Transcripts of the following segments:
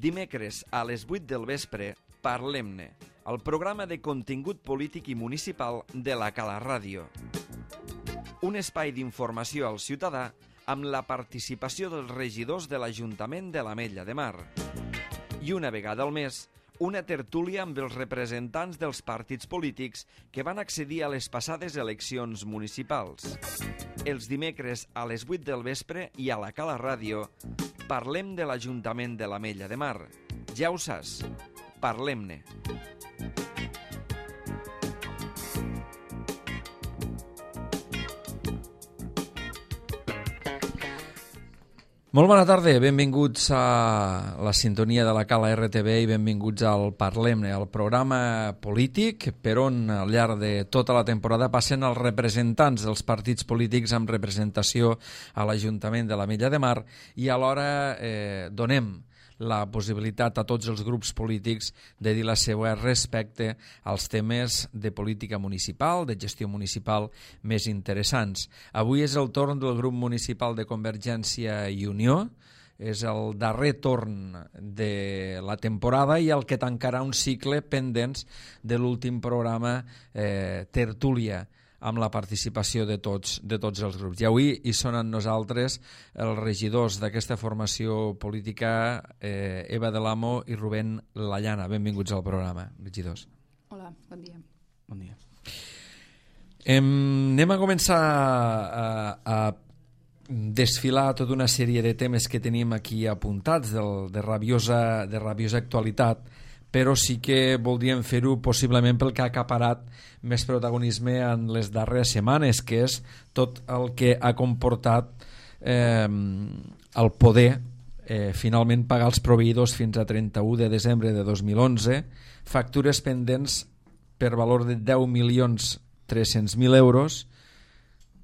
Dimecres a les 8 del vespre, Parlem-ne, el programa de contingut polític i municipal de la Cala Ràdio. Un espai d'informació al ciutadà amb la participació dels regidors de l'Ajuntament de l'Ametlla de Mar. I una vegada al mes, una tertúlia amb els representants dels partits polítics que van accedir a les passades eleccions municipals. Els dimecres a les 8 del vespre i a la Cala Ràdio parlem de l'Ajuntament de l'Ametlla de Mar. Ja ho saps, parlem-ne. Molt bona tarda, benvinguts a la sintonia de la Cala RTV i benvinguts al Parlem-ne, el programa polític per on al llarg de tota la temporada passen els representants dels partits polítics amb representació a l'Ajuntament de l'Ametlla de Mar i alhora donem la possibilitat a tots els grups polítics de dir la seva respecte als temes de política municipal, de gestió municipal més interessants. Avui és el torn del grup municipal de Convergència i Unió, és el darrer torn de la temporada i el que tancarà un cicle pendents de l'últim programa Tertúlia, amb la participació de tots els grups. I avui hi són amb nosaltres els regidors d'aquesta formació política, Eva de l'Amo i Rubén Lallana. Benvinguts al programa, regidors. Hola, bon dia. Bon dia. Anem a començar a desfilar tota una sèrie de temes que tenim aquí apuntats de rabiosa actualitat, però sí que voldríem fer-ho possiblement pel que ha acaparat més protagonisme en les darreres setmanes, que és tot el que ha comportat el poder finalment pagar els proveïdors fins a 31 de desembre de 2011, factures pendents per valor de 10.300.000 euros,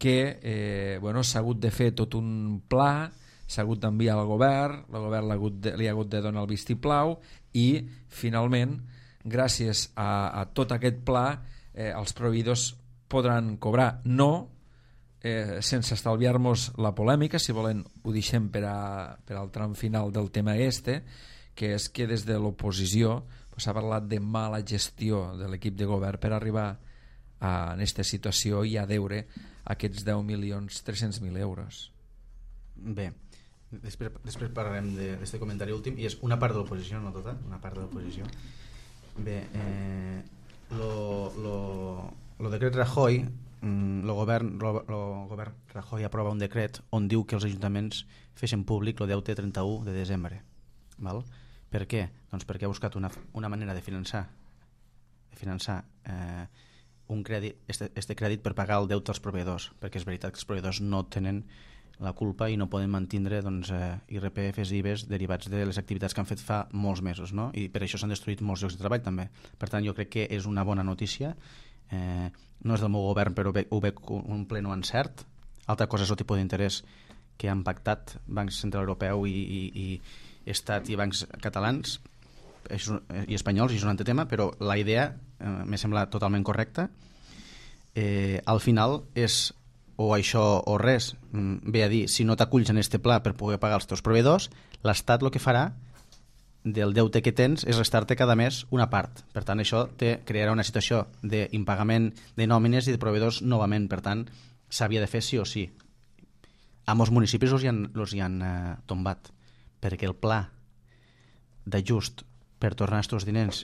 que s'ha hagut de fer tot un pla, s'ha hagut d'enviar al govern, el govern li ha hagut de donar el vistiplau i finalment, gràcies a tot aquest pla, els proveïdors podran cobrar. No, sense estalviar-nos la polèmica, si volen ho deixem per al tram final del tema que és que des de l'oposició s'ha parlat de mala gestió de l'equip de govern per arribar a aquesta situació i a deure aquests 10.300.000 euros. Bé, després parlarem d'aquest comentari últim i és una part de l'oposició, no tota, una part de l'oposició. Bé, lo decret Rajoy, el govern Rajoy aprova un decret on diu que els ajuntaments fessin públic el deute 31 de desembre. Val? Per què? Doncs perquè ha buscat una manera de finançar un crèdit, este crèdit per pagar el deute als proveïdors, perquè és veritat que els proveïdors no tenen la culpa i no poden mantindre IRPFs i IVEs derivats de les activitats que han fet fa molts mesos, no? I per això s'han destruït molts llocs de treball també. Per tant, jo crec que és una bona notícia, no és del meu govern però ho veig un pleno encert. Altra cosa és el tipus d'interès que han pactat Banc Central Europeu i Estat i bancs catalans i espanyols, i és un altre tema, però la idea m'ha semblat totalment correcta. Al final és o això o res, ve a dir, si no t'aculls en este pla per poder pagar els teus proveïdors, l'Estat el que farà del deute que tens és restar-te cada mes una part. Per tant, això crearà una situació d'impagament de nòmines i de proveïdors novament. Per tant, s'havia de fer sí o sí. A molts municipis els hi han tombat, perquè el pla d'ajust per tornar estos diners,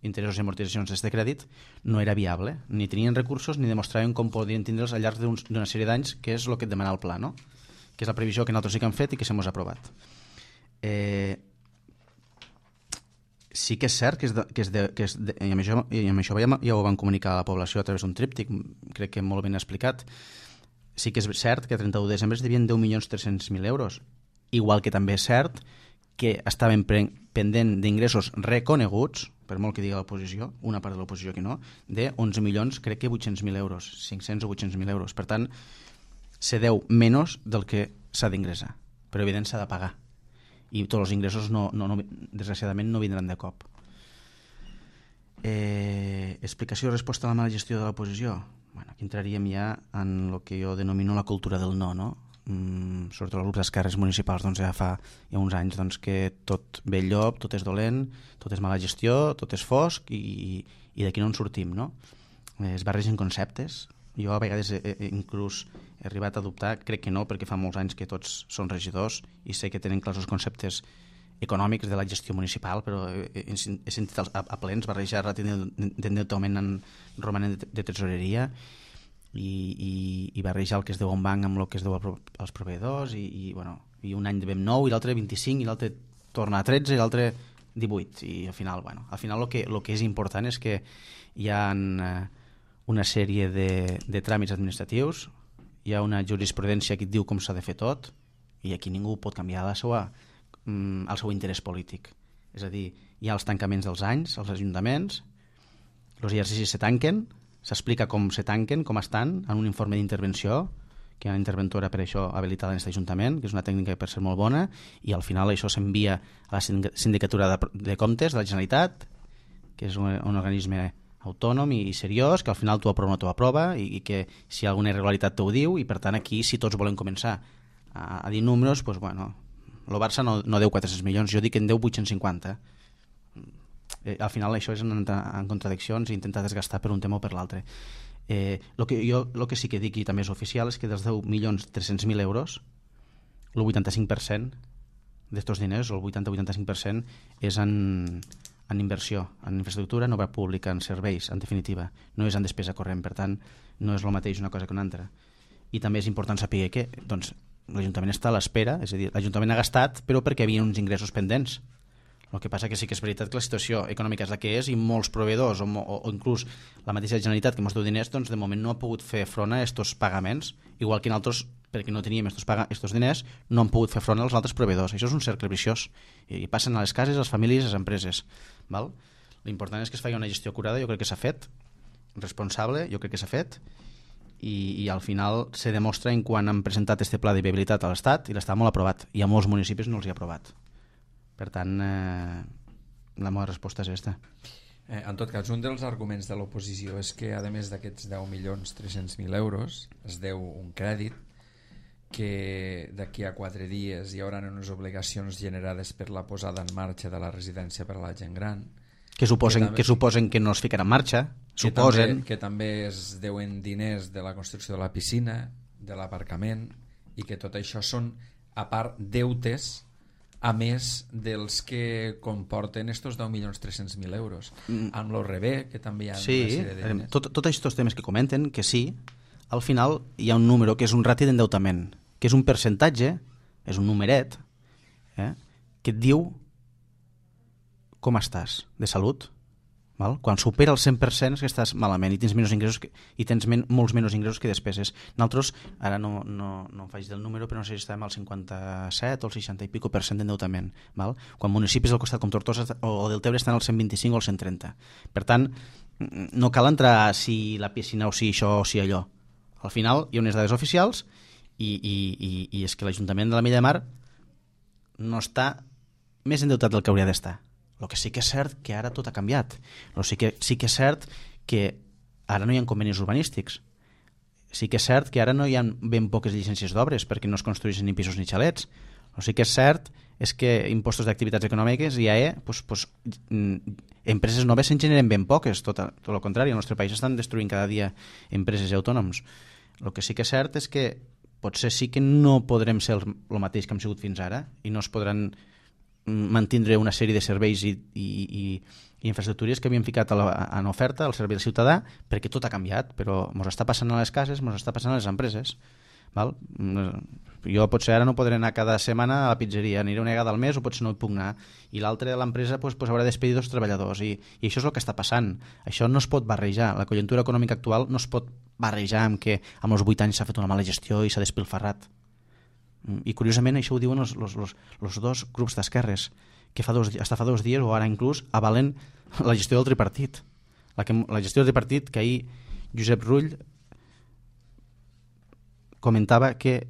interessos i amortitzacions d'aquest crèdit, no era viable. Ni tenien recursos ni demostraven com podien tindre'ls al llarg d'una sèrie d'anys, que és el que et demana el pla, no? Que és la previsió que nosaltres sí que hem fet i que s'hem aprovat. Sí que és cert i amb això ja ho van comunicar a la població a través d'un tríptic, crec que molt ben explicat. Sí que és cert que a 31 de desembre es devien 10.300.000 euros, igual que també és cert que estaven pendent d'ingressos reconeguts, per molt que digui l'oposició, una part de l'oposició que no, de 11 milions, crec que 800.000 euros, 500 o 800.000 euros. Per tant, se deu menys del que s'ha d'ingressar, però evident s'ha de pagar. I tots els ingressos, desgraciadament, no vindran de cop. Explicació i resposta a la mala gestió de l'oposició. Bueno, aquí entraríem ja en el que jo denomino la cultura del no? sobretot els grups d'esquerres municipals, doncs ja fa uns anys doncs, que tot ve el llop, tot és dolent, tot és mala gestió, tot és fosc i d'aquí no en sortim, no? Es barregen conceptes. Jo a vegades inclús he arribat a dubtar, crec que no, perquè fa molts anys que tots són regidors i sé que tenen clars els conceptes econòmics de la gestió municipal, però he sentit a plens barrejar d'endeutament en romanent de tesoreria i barrejar el que es deu a un banc amb el que es deu als proveïdors i un any devem 9 i l'altre 25 i l'altre torna a 13 i l'altre 18 i al final el que és important és que hi ha una sèrie de tràmits administratius, hi ha una jurisprudència que et diu com s'ha de fer tot i aquí ningú pot canviar el seu interès polític. És a dir, hi ha els tancaments dels anys, els ajuntaments, els exercicis se tanquen, s'explica com se tanquen, com estan, en un informe d'intervenció, que hi ha una interventora per això habilitada en aquest ajuntament, que és una tècnica per ser molt bona, i al final això s'envia a la Sindicatura de Comptes de la Generalitat, que és un organisme autònom i seriós, que al final tu aprova o no tu aprova, i que si hi ha alguna irregularitat t'ho diu, i per tant aquí, si tots volem començar a dir números, doncs bueno, el Barça no deu 400 milions, jo dic que en deu 850. Al final això és en contradiccions i intentar desgastar per un tema o per l'altre. El que sí que dic i també és oficial és que dels 10.300.000 euros el 85% d'estos diners, el 80-85% és en inversió, en infraestructura, en obra pública, en serveis, en definitiva, no és en despesa corrent, per tant no és el mateix una cosa que una altra. I també és important saber que doncs, l'Ajuntament està a l'espera, és a dir, l'Ajuntament ha gastat però perquè hi havia uns ingressos pendents. El que passa que sí que és veritat que la situació econòmica és la que és i molts proveïdors o inclús la mateixa Generalitat que ens deu diners, doncs de moment no ha pogut fer front a aquests pagaments, igual que nosaltres, perquè no teníem aquests diners, no han pogut fer front als altres proveïdors. Això és un cercle viciós i passen a les cases, a les famílies, a les empreses. L'important és que es faci una gestió acurada, jo crec que s'ha fet, responsable, jo crec que s'ha fet, i al final se demostra en quan han presentat este pla de viabilitat a l'Estat i l'està molt aprovat, i a molts municipis no els hi ha aprovat. Per tant, la meva resposta és aquesta. En tot cas, un dels arguments de l'oposició és que, a més d'aquests 10.300.000 euros, es deu un crèdit que d'aquí a 4 dies hi haurà unes obligacions generades per la posada en marxa de la residència per a la gent gran, que suposen que no es ficarà en marxa, que també es deuen diners de la construcció de la piscina, de l'aparcament, i que tot això són, a part, deutes a més dels que comporten estos 10.300.000 euros. Amb l'ORB, que també hi ha una sèrie de diners. Tots aquests temes que comenten, que sí, al final hi ha un número que és un rati d'endeutament, que és un percentatge, és un numeret, que et diu com estàs de salut. Quan supera el 100% és que estàs malament i tens menys ingressos i tens molts menys ingressos que despeses. Nosaltres, ara no faig del número, però no sé si estem al 57 o al 60 i pico % d'endeutament. Quan municipis al costat com Tortosa o Deltebre estan al 125 o al 130. Per tant, no cal entrar si la piscina o si això o si allò. Al final hi ha unes dades oficials i és que l'Ajuntament de la Mella de Mar no està més endeutat del que hauria d'estar. El que sí que és cert que ara tot ha canviat. Sí que és cert que ara no hi ha convenis urbanístics. Sí que és cert que ara no hi ha ben poques llicències d'obres perquè no es construeixen ni pisos ni xalets. Sí que és cert és que impostos d'activitats econòmiques i AE, empreses noves se'n generen ben poques, tot el contrari, al nostre país estan destruint cada dia empreses i autònoms. El que sí que és cert és que potser sí que no podrem ser el mateix que hem sigut fins ara i no es podran mantindre una sèrie de serveis i infraestructures que havíem ficat en oferta al servei del ciutadà perquè tot ha canviat, però ens està passant a les cases, ens està passant a les empreses. Jo potser ara no podré anar cada setmana a la pizzeria, aniré una vegada al mes o potser no hi puc anar, i l'altre de l'empresa haurà de despedir 2 treballadors i això és el que està passant. Això no es pot barrejar, la conjuntura econòmica actual no es pot barrejar amb que amb els 8 anys s'ha fet una mala gestió i s'ha despilfarrat. I curiosament això ho diuen els 2 grups d'esquerres que fa 2 dies o ara inclús avalen la gestió del tripartit, la gestió del tripartit, que ahir Josep Rull comentava que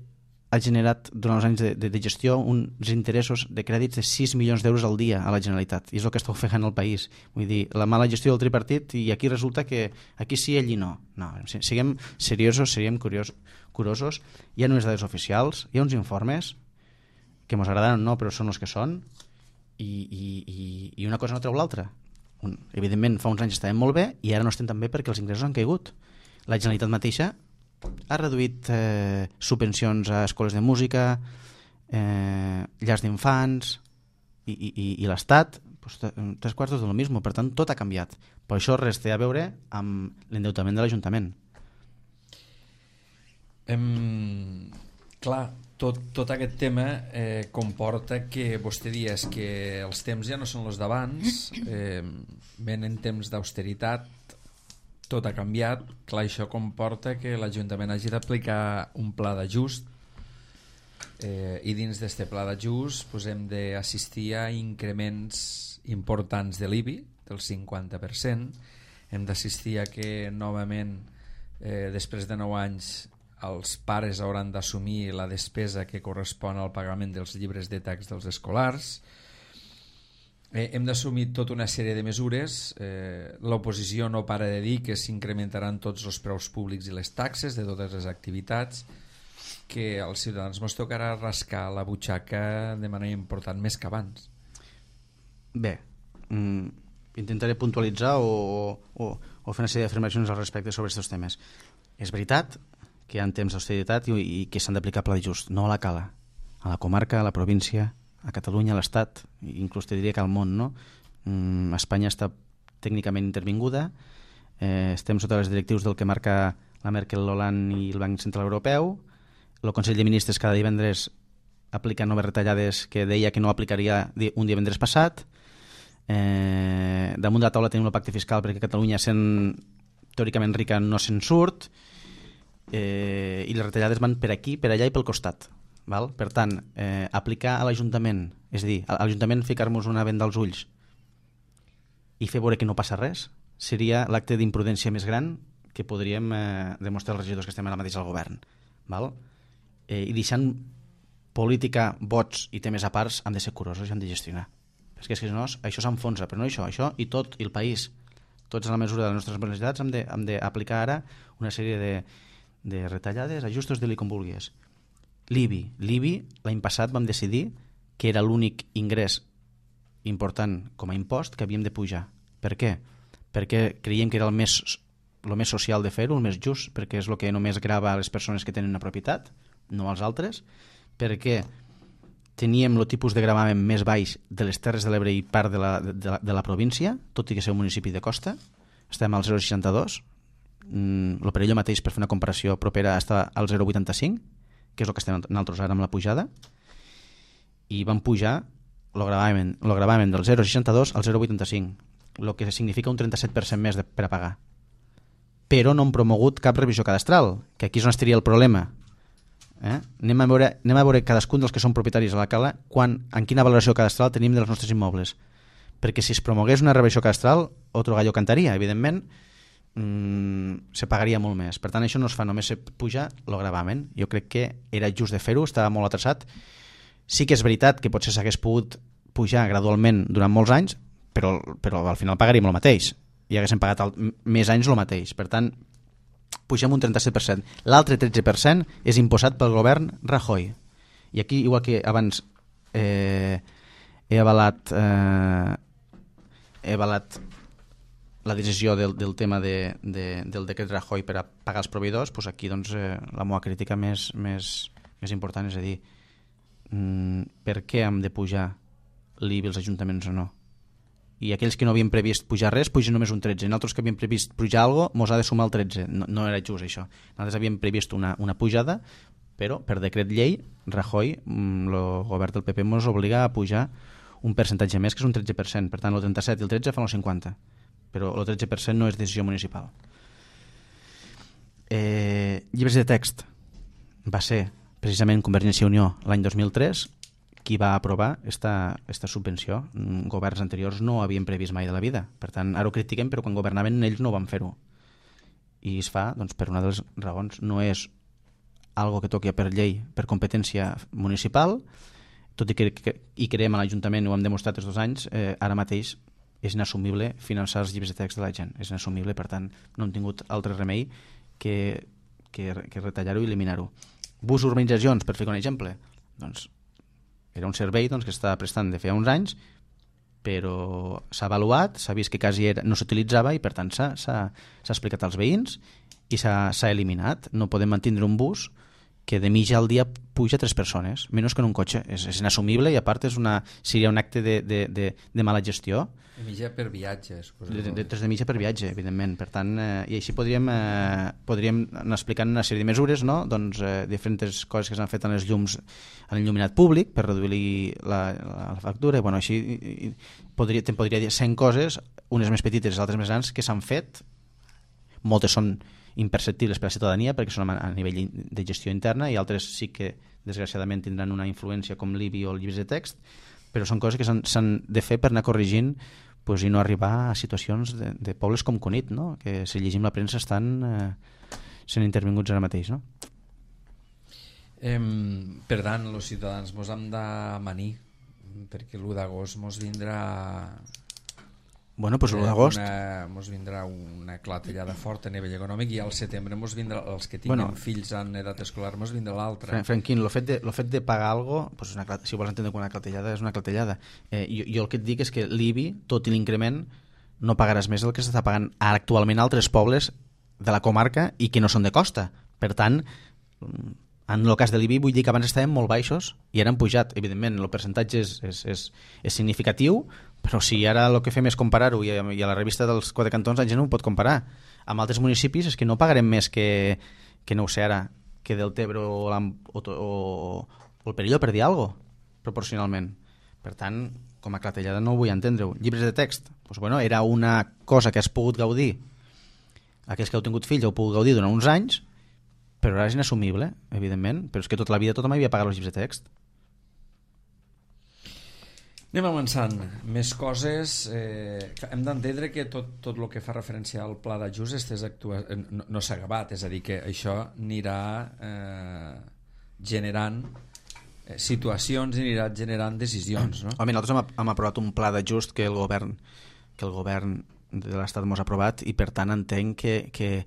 ha generat durant els anys de gestió uns interessos de crèdits de 6 milions d'euros al dia a la Generalitat, i és el que està ofegant el país. Vull dir, la mala gestió del tripartit, i aquí resulta que aquí sí, allí no. No, siguem seriosos, siguem curosos. Hi ha unes dades oficials, hi ha uns informes que ens agraden o no, però són els que són, i una cosa no treu l'altra. Evidentment, fa uns anys estàvem molt bé i ara no estem tan bé perquè els ingressos han caigut. La Generalitat mateixa ha reduït subvencions a escoles de música, llars d'infants, i l'Estat, pues, 3/4 de lo mismo. Per tant, tot ha canviat. Per això res té a veure amb l'endeutament de l'Ajuntament. Clar, tot aquest tema comporta que vostè dies que els temps ja no són els d'abans, venen temps d'austeritat, tot ha canviat. Clar, això comporta que l'Ajuntament hagi d'aplicar un pla d'ajust, i dins d'aquest pla d'ajust pues, hem d'assistir a increments importants de l'IBI del 50%. Hem d'assistir a que novament, després de 9 anys, els pares hauran d'assumir la despesa que correspon al pagament dels llibres de text dels escolars. Hem d'assumir tota una sèrie de mesures. L'oposició no para de dir que s'incrementaran tots els preus públics i les taxes de totes les activitats, que als ciutadans ens tocarà rascar la butxaca de manera important més que abans. Bé, intentaré puntualitzar o fer una sèrie d'afirmacions al respecte sobre aquests temes. És veritat que hi ha temps d'austeritat i que s'han d'aplicar pla just, no a la cala, a la comarca, a la província, a Catalunya, a l'Estat, inclús te diria que al món, no? Espanya està tècnicament intervinguda, estem sota les directius del que marca la Merkel, l'Hollande i el Banc Central Europeu. El Consell de Ministres cada divendres aplica noves retallades que deia que no aplicaria un divendres passat. Damunt de la taula tenim el pacte fiscal perquè Catalunya, sent teòricament rica, no se'n surt, i les retallades van per aquí, per allà i pel costat. Val? Per tant, aplicar a l'Ajuntament, és a dir, a l'Ajuntament ficar-nos una venda als ulls i fer veure que no passa res, seria l'acte d'imprudència més gran que podríem demostrar els regidors que estem ara mateix al govern. Val? I deixant política, vots i temes a parts, hem de ser curosos i hem de gestionar. Perquè si no, això s'enfonsa, però no això i tot, i el país. Tots a la mesura de les nostres necessitats hem d'aplicar ara una sèrie de retallades, ajustos, de-li com vulguis. L'IBI, l'any passat vam decidir que era l'únic ingrés important com a impost que havíem de pujar. Per què? Perquè creiem que era el més social de fer-ho, el més just, perquè és el que només grava a les persones que tenen una propietat, no als altres, perquè teníem el tipus de gravamen més baix de les Terres de l'Ebre i part de la província, tot i que ser un municipi de costa. Estem al 0,62, el Perelló mateix, per fer una comparació propera, està al 0,85, que és el que estem nosaltres ara amb la pujada, i van pujar el gravamen del 0,62 al 0,85, el que significa un 37% més per a pagar. Però no han promogut cap revisió cadastral, que aquí és on estaria el problema. Anem a veure cadascun dels que són propietaris a la cala en quina valoració cadastral tenim dels nostres immobles, perquè si es promogués una revisió cadastral, otro gallo cantaria, evidentment, se pagaria molt més. Per tant, això no es fa, només se puja el gravamen. Jo crec que era just de fer-ho, estava molt atrasat. Sí que és veritat que potser s'hagués pogut pujar gradualment durant molts anys, però al final pagaríem el mateix i haguéssim pagat més anys el mateix. Per tant, pugem un 37%. L'altre 13% és imposat pel govern Rajoy. I aquí, igual que abans he avalat la decisió del tema del decret Rajoy per a pagar els proveïdors, doncs aquí doncs, la meva crítica més important és a dir, per què hem de pujar l'IBI als ajuntaments o no? I aquells que no havien previst pujar res, pugen només un 13. Nosaltres que havíem previst pujar alguna cosa, mos ha de sumar el 13. No era just això. Nosaltres havíem previst una pujada, però per decret llei, Rajoy, el govern del PP, mos obliga a pujar un percentatge més, que és un 13%. Per tant, el 37 i el 13 fan el 50%. Però el 13% no és decisió municipal. Llibres de text va ser precisament Convergència i Unió l'any 2003 qui va aprovar esta subvenció. Governs anteriors no ho havien previst mai de la vida. Per tant, ara ho critiquem, però quan governaven ells no van fer-ho. I es fa doncs, per una de les raons. No és algo que toqui per llei, per competència municipal, tot i que hi creiem a l'Ajuntament, ho hem demostrat els 2 anys, ara mateix és inassumible finançar els llibres de text de la gent. És inassumible, per tant, no hem tingut altre remei que retallar-ho i eliminar-ho. Bus urbanitzacions, per fer un exemple, doncs era un servei que estava prestant de feia uns anys, però s'ha avaluat, s'ha vist que quasi no s'utilitzava i per tant s'ha explicat als veïns i s'ha eliminat. No podem mantenir un bus que de mitja al dia puja 3 persones, menys que en un cotxe. És inassumible i a part seria un acte de mala gestió. De mitja per viatge. De mitja per viatge, evidentment. Per tant, i així podríem anar explicant una sèrie de mesures, no? Doncs diferents coses que s'han fet en els llums, en l'il·luminat públic per reduir la factura. Bueno, així te'n podria dir 100 coses, unes més petites, altres més grans, que s'han fet. Moltes són imperceptibles per a la ciutadania perquè són a nivell de gestió interna i altres sí que desgraciadament tindran una influència com l'IBI o els llibres de text, però són coses que s'han de fer per anar corregint i no arribar a situacions de pobles com Cunit, no? Que si llegim la premsa estan sent intervinguts ara mateix, no? Per tant, els ciutadans mos hem d'amanir perquè l'1 d'agost mos vindrà l'1 d'agost mos vindrà una clatellada forta a nivell econòmic i al setembre mos vindrà, els que tinguin fills en edat escolar mos vindrà l'altre. Franquín, el fet de pagar alguna cosa, si ho vols entendre com una clatellada, és una clatellada. Jo el que et dic és que l'IBI, tot i l'increment, no pagaràs més del que s'està pagant actualment a altres pobles de la comarca i que no són de costa. Per tant, en el cas de l'IBI vull dir que abans estàvem molt baixos i ara han pujat. Evidentment, el percentatge és significatiu, però si ara el que fem és comparar-ho i a la revista dels 4 cantons la gent no ho pot comparar amb altres municipis, és que no pagarem més que no ho sé ara, que del Tebre o el Perelló, per dir alguna cosa, proporcionalment. Per tant, com a clatellada no ho vull entendre-ho. Llibres de text, era una cosa que has pogut gaudir, aquells que heu tingut fills heu pogut gaudir durant uns anys, però ara és inassumible, evidentment, però és que tota la vida tothom havia pagat els llibres de text. Anem avançant. Més coses. Hem d'entendre que tot el que fa referència al pla d'ajust no s'ha acabat, és a dir, que això anirà generant situacions i anirà generant decisions, no? Home, nosaltres hem aprovat un pla d'ajust que el govern de l'Estat mos ha aprovat i per tant entenc que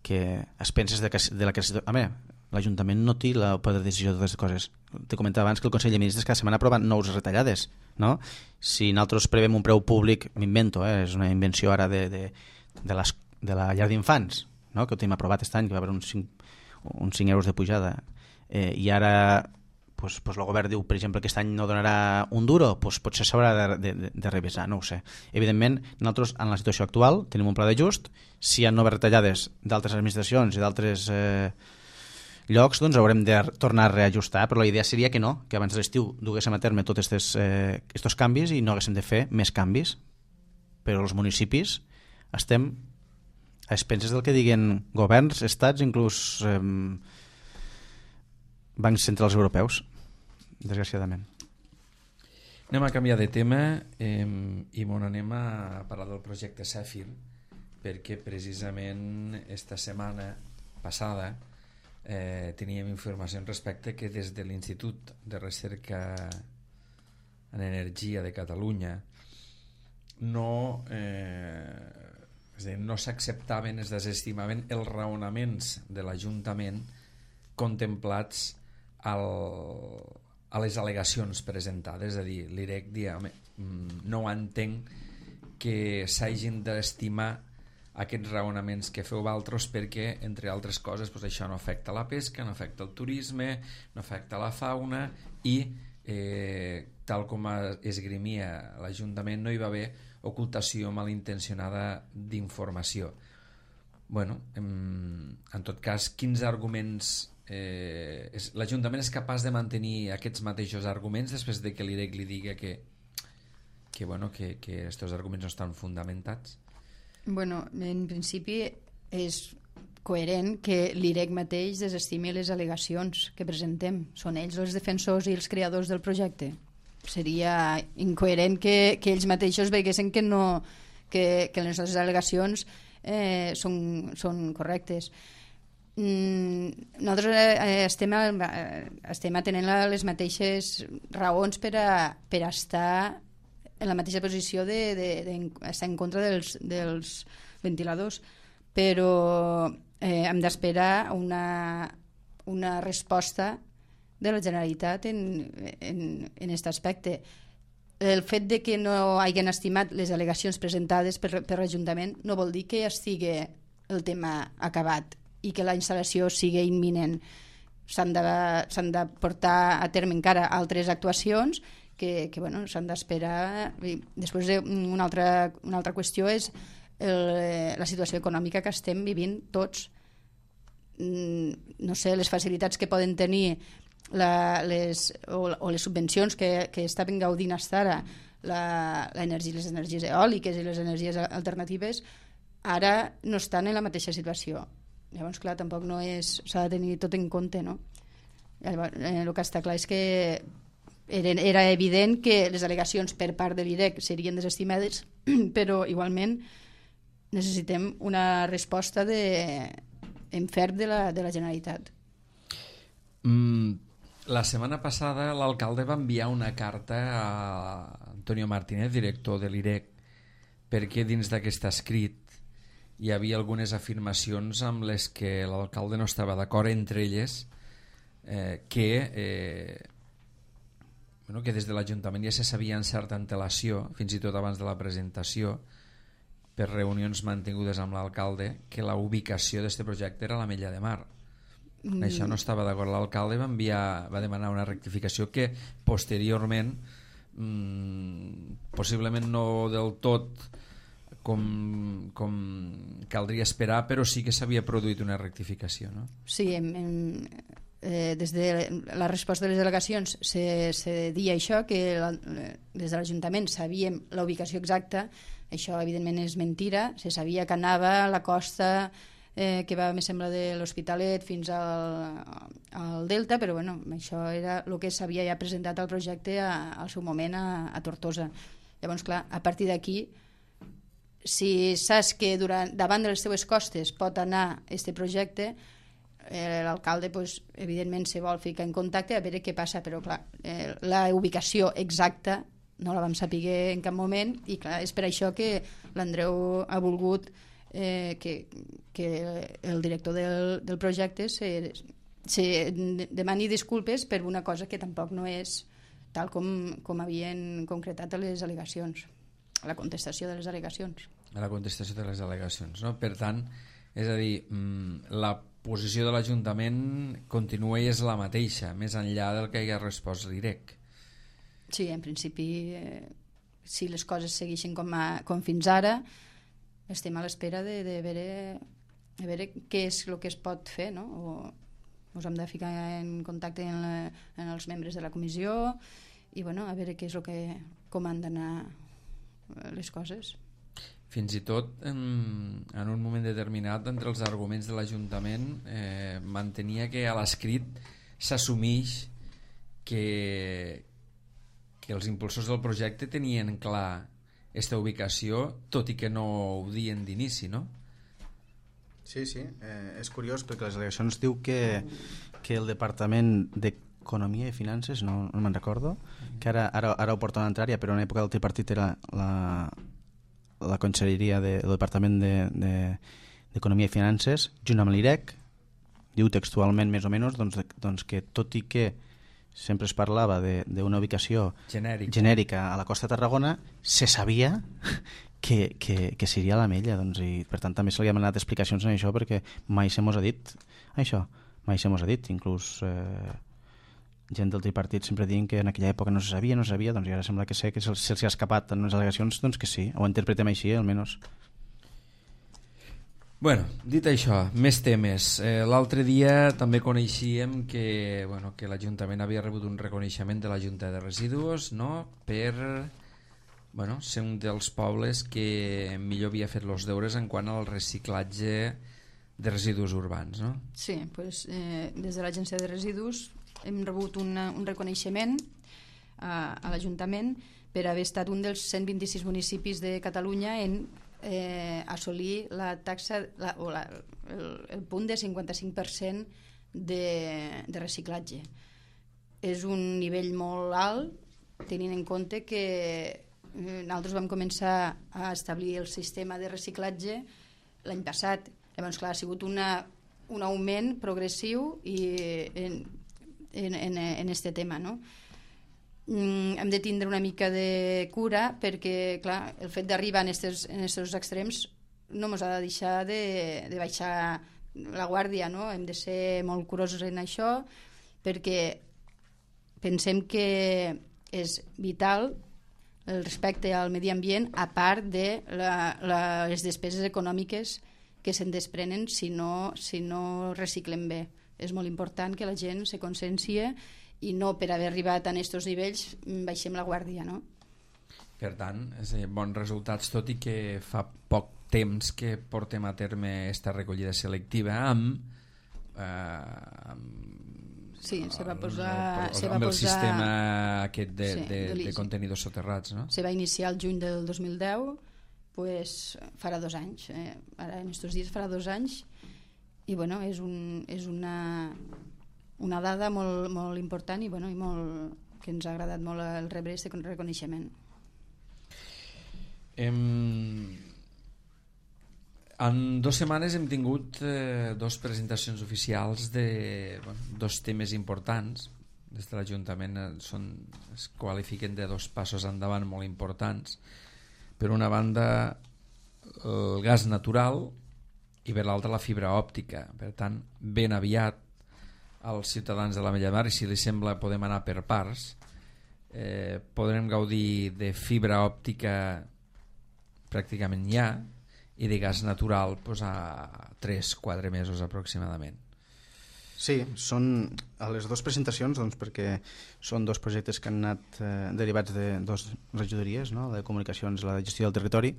es penses de la creació... Home, l'Ajuntament no té el poder de decisió de totes les coses. Te comentava abans que el Consell de Ministres cada setmana aprova nous retallades, no? Si nosaltres prevem un preu públic, m'invento, és una invenció ara de la llar d'infants, no? Que ho tenim aprovat aquest any, que va haver uns 5 euros de pujada, i ara el govern diu, per exemple, que aquest any no donarà un duro, potser s'haurà de revisar, no ho sé. Evidentment, nosaltres en la situació actual tenim un pla d'ajust, si hi ha noves retallades d'altres administracions i d'altres llocs, doncs haurem de tornar a reajustar, però la idea seria que no, que abans de l'estiu duguéssim a terme tots aquests canvis i no haguéssim de fer més canvis. Però els municipis estem a expenses del que diguen governs, estats, inclús bancs centrals europeus, desgraciadament. Anem a canviar de tema i anem a parlar del projecte Cèfir, perquè precisament esta setmana passada teníem informació respecte que des de l'Institut de Recerca en Energia de Catalunya no s'acceptaven, es desestimaven els raonaments de l'Ajuntament contemplats a les al·legacions presentades. És a dir, l'IREC no entenc que s'hagin d'estimar aquests raonaments que feu vosaltres perquè, entre altres coses, això no afecta la pesca, no afecta el turisme, no afecta la fauna i, tal com esgrimia l'Ajuntament, no hi va haver ocultació malintencionada d'informació. En tot cas, quins arguments... l'Ajuntament és capaç de mantenir aquests mateixos arguments després de que l'IREC li diga que aquests arguments no estan fundamentats? En principi és coherent que l'IREC mateix desestimi les al·legacions que presentem. Són ells els defensors i els creadors del projecte. Seria incoherent que ells mateixos veguessin que les nostres al·legacions són correctes. Nosaltres estem atenent les mateixes raons per a estar en la mateixa posició d'estar en contra dels ventiladors, però hem d'esperar una resposta de la Generalitat en aquest aspecte. El fet de que no hagin estimat les al·legacions presentades per l'Ajuntament no vol dir que estigui el tema acabat i que la instal·lació sigui imminent. S'han de portar a terme encara altres actuacions que s'han d'esperar. Després, una altra qüestió és la situació econòmica que estem vivint tots. No sé, les facilitats que poden tenir les subvencions que estaven gaudint fins ara les energies eòliques i les energies alternatives ara no estan en la mateixa situació. Llavors, clar, tampoc no s'ha de tenir tot en compte, no? Llavors, el que està clar és que era evident que les al·legacions per part de l'IREC serien desestimades, però igualment necessitem una resposta en ferm de la Generalitat. La setmana passada l'alcalde va enviar una carta a Antonio Martínez, director de l'IREC, perquè dins d'aquest escrit hi havia algunes afirmacions amb les que l'alcalde no estava d'acord, entre elles que des de l'Ajuntament ja se sabia en certa antelació, fins i tot abans de la presentació, per reunions mantingudes amb l'alcalde, que la ubicació d'aquest projecte era a l'Ametlla de Mar. Això no estava d'acord. L'alcalde va demanar una rectificació que posteriorment possiblement no del tot com caldria esperar, però sí que s'havia produït una rectificació, no? Sí, des de la resposta de les delegacions se deia això, que des de l'Ajuntament sabíem la ubicació exacta. Això evidentment és mentira. Se sabia que anava a la costa que va, me sembla, de l'Hospitalet fins al Delta, però això era el que s'havia ja presentat al projecte al seu moment a Tortosa. Llavors, clar, a partir d'aquí, si saps que davant de les teves costes pot anar aquest projecte, l'alcalde evidentment se vol ficar en contacte a veure què passa, però clar, la ubicació exacta no la vam saber en cap moment, i clar, és per això que l'Andreu ha volgut que el director del projecte se demani disculpes per una cosa que tampoc no és tal com havien concretat a les al·legacions, a la contestació de les al·legacions. A la contestació de les al·legacions, no? Per tant, és a dir, la posició de l'Ajuntament continua i és la mateixa, més enllà del que hi ha respost l'IREC. Sí, en principi, si les coses segueixen com fins ara, estem a l'espera de veure què és el que es pot fer, no? O ens hem de ficar en contacte amb els membres de la comissió i a veure què és com han d'anar les coses. Fins i tot en un moment determinat, entre els arguments de l'Ajuntament, mantenia que a l'escrit s'assumeix que els impulsors del projecte tenien clar aquesta ubicació, tot i que no ho diuen d'inici, no? Sí, és curiós perquè les al·legacions diu que el Departament d'Economia i Finances, no me'n recordo, que ara ho porta una altra, però en època del tripartit era la conselleria del Departament d'Economia i Finances, junt amb l'IREC, diu textualment més o menys doncs que tot i que sempre es parlava d'una ubicació genèrica a la costa de Tarragona, se sabia que seria a l'Ametlla, i per tant també se li ha demanat explicacions en això, perquè mai se mos ha dit això, inclús gent del tripartit sempre diuen que en aquella època no se sabia, doncs i ara sembla que se'ls ha escapat en les al·legacions, doncs que sí, ho interpretem així almenys. Bueno, dit això, més temes. L'altre dia també coneixíem que l'Ajuntament havia rebut un reconeixement de la Junta de Residus, no?, per ser un dels pobles que millor havia fet els deures en quant al reciclatge de residus urbans, no? Sí, des de l'Agència de Residus hem rebut un reconeixement a l'Ajuntament per haver estat un dels 126 municipis de Catalunya en assolir la taxa el punt de 55% de reciclatge. És un nivell molt alt, tenint en compte que nosaltres vam començar a establir el sistema de reciclatge l'any passat. Llavors, clar, ha sigut un augment progressiu en este tema, no? Hem de tindre una mica de cura perquè, clar, el fet d'arribar en aquests extrems no ens ha de deixar de baixar la guàrdia, no? Hem de ser molt curosos en això perquè pensem que és vital el respecte al medi ambient, a part de les despeses econòmiques que se'n desprenen si no reciclem bé. És molt important que la gent se consciencie i no per haver arribat a aquests nivells baixem la guàrdia, no? Per tant, bons resultats, tot i que fa poc temps que portem a terme aquesta recollida selectiva amb sí, se va posar el sistema aquest de contenidors soterrats, no? Se va iniciar el juny del 2010, pues farà 2 anys, ara en estos dies farà 2 anys, i bueno, és una dada molt, molt important i, bueno, i molt, que ens ha agradat molt el rebre aquest reconeixement. En 2 setmanes hem tingut 2 presentacions oficials de 2 temes importants. Des de l'Ajuntament es qualifiquen de 2 passos endavant molt importants. Per una banda, el gas natural i per l'altra la fibra òptica. Per tant, ben aviat als ciutadans de la Mella Mar, i si li sembla podem anar per parts, podrem gaudir de fibra òptica pràcticament ja, i de gas natural a 3-4 mesos aproximadament. Sí, són a les 2 presentacions, doncs, perquè són 2 projectes que han anat derivats de 2 regidories, no? La de comunicacions i la de gestió del territori.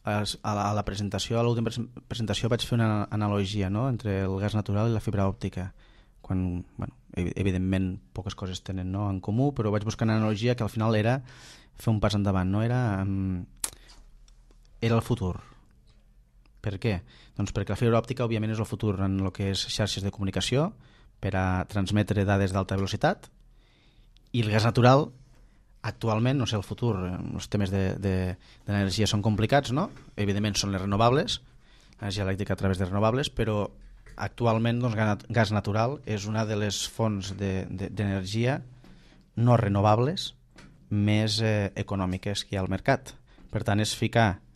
A la presentació, a l'última presentació vaig fer una analogia, no?, entre el gas natural i la fibra òptica, quan, bueno, evidentment poques coses tenen, no?, en comú, però vaig buscar una analogia que al final era fer un pas endavant, no? Era el futur. Per què? Doncs perquè la fibra òptica òbviament és el futur en el que és xarxes de comunicació per a transmetre dades d'alta velocitat, i el gas natural actualment, no sé el futur, els temes d'energia són complicats, no? Evidentment són les renovables, l'energia elèctrica a través de renovables, però actualment doncs, gas natural és una de les fonts d'energia no renovables més econòmiques que hi ha al mercat. Per tant, és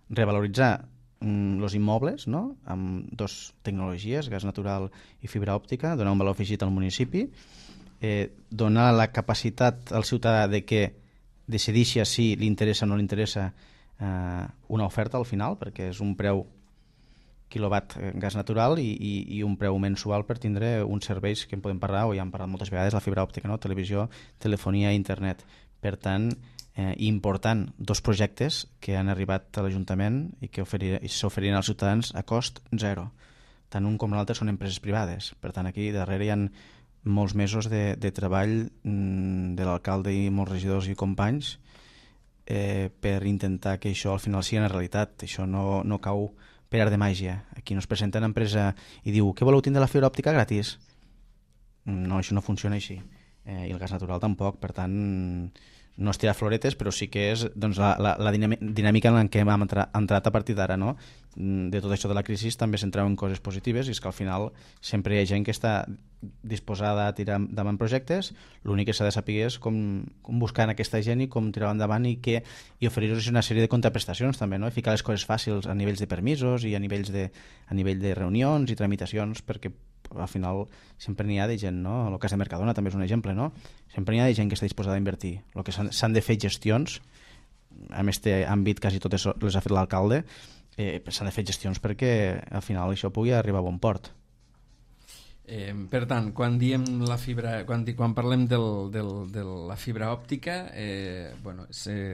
revaloritzar els immobles, no?, amb 2 tecnologies, gas natural i fibra òptica, donar un valor afegit al municipi, donar la capacitat al ciutadà de que decideixi si li interessa o no li interessa una oferta al final, perquè és un preu quilowatt gas natural i un preu mensual per tindre uns serveis que en podem parlar, o ja hem parlat moltes vegades, la fibra òptica, no?, televisió, telefonia i internet. Per tant, important 2 projectes que han arribat a l'Ajuntament i que s'oferien als ciutadans a cost 0. Tant un com l'altre són empreses privades. Per tant, aquí darrere hi ha molts mesos de treball de l'alcalde i molts regidors i companys per intentar que això al final sigui una realitat. Això no cau per art de màgia. Aquí no es presenta una empresa i diu: què voleu tindre la fibra òptica gratis? No, això no funciona així. I el gas natural tampoc. Per tant, no és tirar floretes, però sí que és doncs, la dinàmica en què hem entrat a partir d'ara, no? De tot això de la crisi també se'n treuen coses positives, i és que al final sempre hi ha gent que està disposada a tirar endavant projectes. L'únic que s'ha de saber és com buscar en aquesta gent i com tirar endavant i oferir-los una sèrie de contraprestacions també, no? I ficar les coses fàcils a nivells de permisos i a nivell de reunions i tramitacions, perquè al final sempre n'hi ha de gent, no? El cas de Mercadona també és un exemple, no? Sempre n'hi ha de gent que està disposada a invertir. El que s'han de fer gestions, en aquest àmbit quasi totes les ha fet l'alcalde, s'han de fer gestions perquè al final això pugui arribar a bon port. Per tant, quan diem la fibra, quan parlem de la fibra òptica,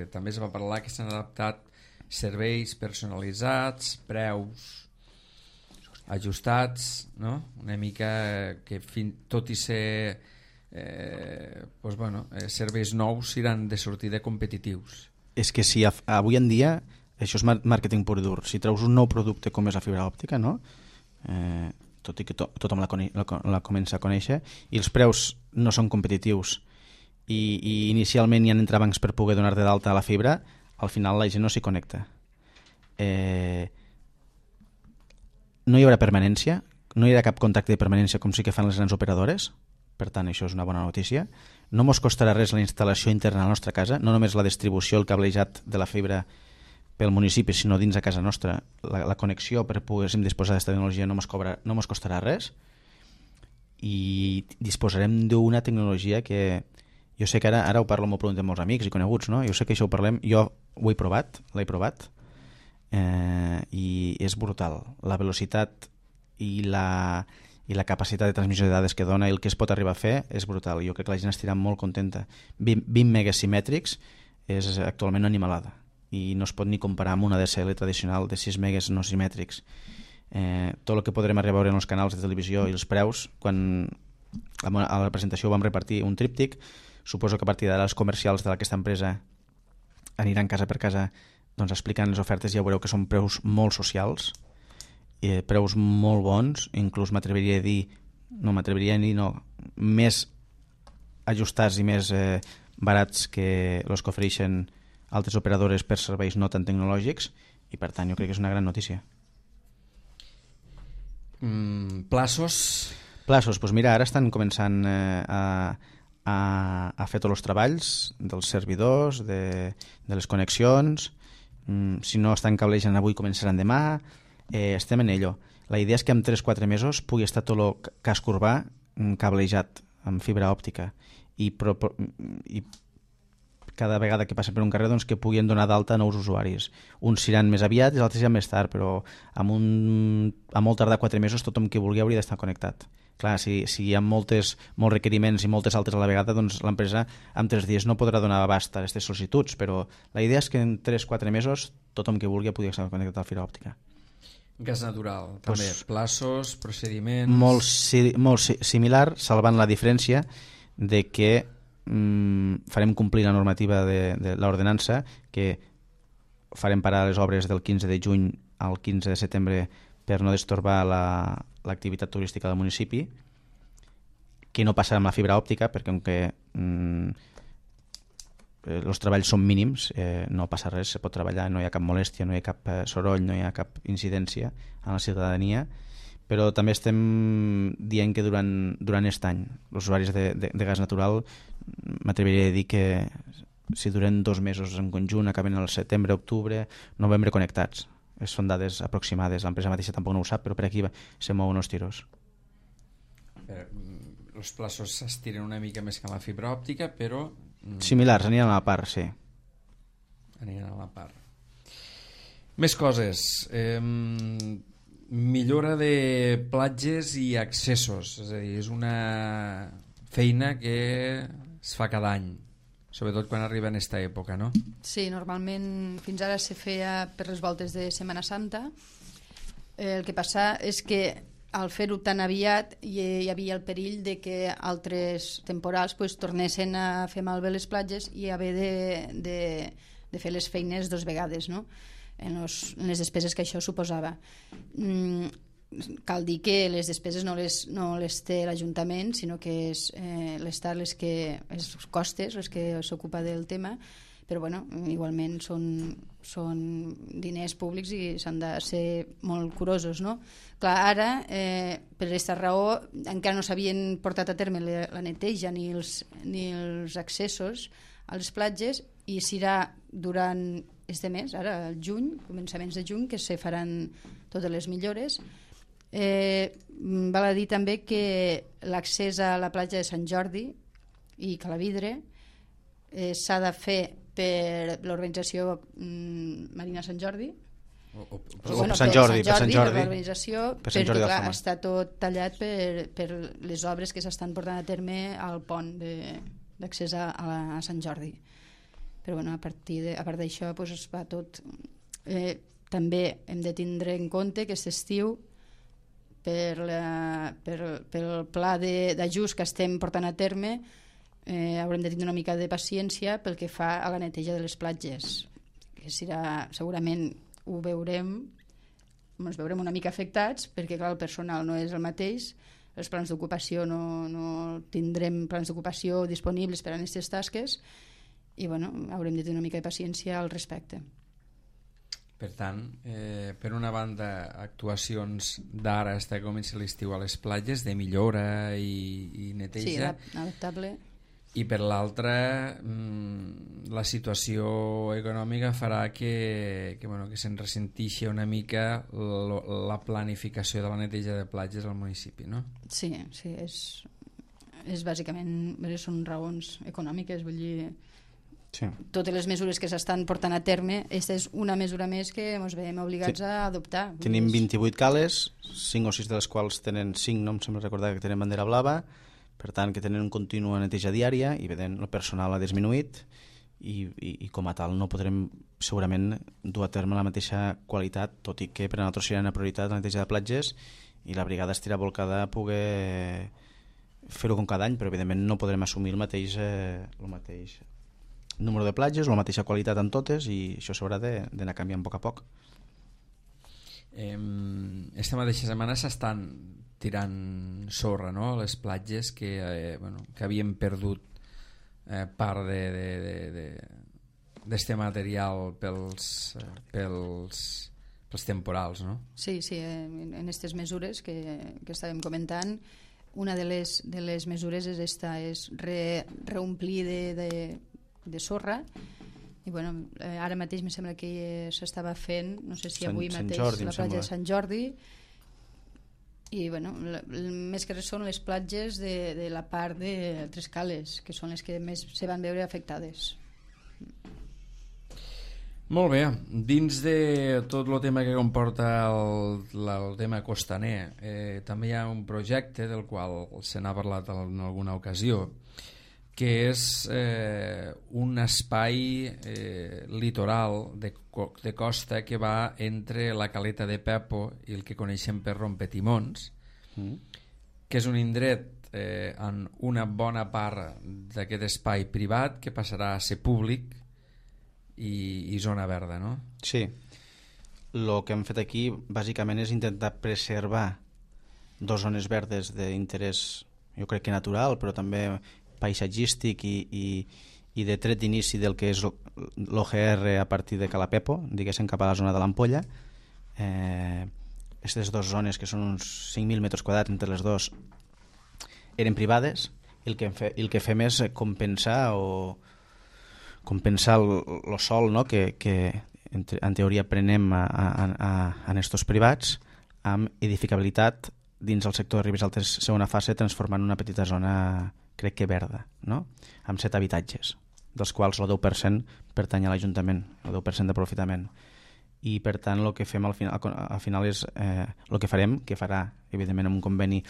també es va parlar que s'han adaptat serveis personalitzats, preus ajustats, no? Una mica que tot i ser serveis nous seran de sortida competitius. És que si avui en dia això és màrqueting pur i dur. Si treus un nou producte com és la fibra òptica, no? Tot i que tothom la comença a conèixer, i els preus no són competitius, i inicialment hi ha entrebancs per poder donar-te d'alta a la fibra, al final la gent no s'hi connecta. No hi haurà permanència, no hi haurà cap contracte de permanència com sí que fan les grans operadores, per tant això és una bona notícia. No mos costarà res la instal·lació interna a la nostra casa, no només la distribució, el cablejat de la fibra pel municipi, sinó dins a casa nostra. La connexió per poder disposar d'aquesta tecnologia no mos costarà res, i disposarem d'una tecnologia que jo sé que ara ho parlo molt prou amb molts amics i coneguts, no? Jo sé que això ho parlem, jo ho he provat, l'he provat, i és brutal. La velocitat i la capacitat de transmissió de dades que dona i el que es pot arribar a fer és brutal. Jo crec que la gent estirà molt contenta. 20 megas simètrics és actualment una animalada, i no es pot ni comparar amb una DSL tradicional de 6 megas no simètrics. Tot el que podrem arribar a veure en els canals de televisió i els preus, quan a la presentació vam repartir un tríptic, suposo que a partir d'ara els comercials d'aquesta empresa aniran casa per casa doncs, explicant les ofertes, i ja veureu que són preus molt socials, preus molt bons, inclús m'atreviria a dir més ajustats i més barats que els que ofereixen altres operadores per serveis no tan tecnològics, i per tant jo crec que és una gran notícia. Plaços? Plaços, doncs mira, ara estan començant a fer tots els treballs dels servidors, de les connexions. Si no estan cablejant avui, començaran demà. Estem en ello. La idea és que en 3-4 mesos pugui estar tot el casc urbà cablejat amb fibra òptica, i cada vegada que passen per un carrer doncs, que puguin donar d'alta a nous usuaris. Uns iran més aviat i els altres iran més tard, però a molt tardar 4 mesos tothom que vulgui hauria d'estar connectat. Clar, si hi ha molts requeriments i moltes altres a la vegada, doncs l'empresa en 3 dies no podrà donar abast a aquestes sol·licituds, però la idea és que en 3-4 mesos tothom que vulgui pugui estar connectat a la fibra òptica. Gas natural, també. Plaços, procediments... Molt similar, salvant la diferència de que farem complir la normativa de l'ordenança, que farem parar les obres del 15 de juny al 15 de setembre per no destorbar l'activitat turística del municipi, que no passarà amb la fibra òptica, perquè els treballs són mínims, no passa res, se pot treballar, no hi ha cap molèstia, no hi ha cap soroll, no hi ha cap incidència en la ciutadania. Però també estem dient que durant aquest any els usuaris de gas natural, m'atreviria a dir que si duren 2 mesos en conjunt, acaben el setembre, octubre, novembre connectats. Són dades aproximades, l'empresa mateixa tampoc no ho sap, però per aquí se mouen els tiros. Els plaços s'estiren una mica més que la fibra òptica, però... Similars, aniran a la part, sí. Aniran a la part. Més coses. Millora de platges i accessos, és a dir, és una feina que es fa cada any, sobretot quan arriba en aquesta època, no? Sí, normalment fins ara se feia per les voltes de Setmana Santa. El que passa és que al fer-ho tan aviat hi havia el perill de que altres temporals tornessin a fer malbé les platges i haver de fer les feines 2 vegades, no? En les despeses que això suposava. Cal dir que les despeses no les té l'Ajuntament, sinó que és l'Estat els costes, els que s'ocupa del tema, però bueno, igualment són diners públics i s'han de ser molt curosos, no? Clar, ara, per aquesta raó, encara no s'havien portat a terme la neteja ni els accessos a les platges, i serà durant este mes, ara el juny, començaments de juny, que se faran totes les millores. Val a dir també que l'accés a la platja de Sant Jordi i Calavidre s'ha de fer per l'organització Marina Sant Jordi, per Sant Jordi, per l'organització, perquè clar, està tot tallat per les obres que s'estan portant a terme al pont d'accés a Sant Jordi. Però bueno, a part d'això es va tot. També hem de tindre en compte que aquest estiu, pel pla d'ajust que estem portant a terme, haurem de tindre una mica de paciència pel que fa a la neteja de les platges. que segurament ens veurem una mica afectats, perquè clar, el personal no és el mateix, els plans d'ocupació no tindrem plans d'ocupació disponibles per a aquestes tasques i haurem de tenir una mica de paciència al respecte. Per tant, per una banda, actuacions d'ara fins que comenci l'estiu a les platges, de millora i neteja. Sí, adaptable. I per l'altra, la situació econòmica farà que se'n ressentixi una mica la planificació de la neteja de platges al municipi, no? Sí, és bàsicament, són raons econòmiques, vull dir, sí. Totes les mesures que s'estan portant a terme, aquesta és una mesura més que ens veiem obligats a adoptar. Tenim 28 cales, 5 o 6 de les quals tenen 5, no em sembla recordar que tenen bandera blava, per tant que tenen un continu neteja diària i veient el personal ha disminuït i com a tal no podrem segurament dur a terme la mateixa qualitat, tot i que per a nosaltres serà una prioritat la neteja de platges i la brigada estirà volcada a poder fer-ho com cada any, però evidentment no podrem assumir el mateix número de platges, la mateixa qualitat en totes i això s'haurà d'anar canviant a poc a poc. Esta mateixa setmana s'estan tirant sorra, no?, a les platges que havien perdut part d'este material pels temporals, no? Sí, en aquestes mesures que estàvem comentant, una de les mesures és reomplir de sorra i ara mateix em sembla que s'estava fent, no sé si avui mateix la platja de Sant Jordi i més que res són les platges de la part de Tres Cales, que són les que més se van veure afectades. Molt bé, dins de tot el tema que comporta el tema costaner, també hi ha un projecte del qual se n'ha parlat en alguna ocasió, que és un espai litoral de costa que va entre la caleta de Pepo i el que coneixem per Rompetimons, que és un indret en una bona part d'aquest espai privat que passarà a ser públic i zona verda, no? Sí, el que hem fet aquí bàsicament és intentar preservar dues zones verdes d'interès, jo crec que natural, però també paisatgístic i de tret d'inici del que és l'OGR a partir de Calapepo, diguéssim cap a la zona de l'Ampolla. Aquestes dues zones, que són uns 5.000 metres quadrats entre les dues, eren privades i el que fem és compensar el sòl, no?, que en teoria prenem en estos privats amb edificabilitat dins el sector de Ribes Altes segona fase, transformant una petita zona, crec que verda, no?, amb 7 habitatges, dels quals el 10% pertany a l'Ajuntament, el 10% d'aprofitament. I per tant el que fem al final és el que farem, que farà evidentment amb un conveni,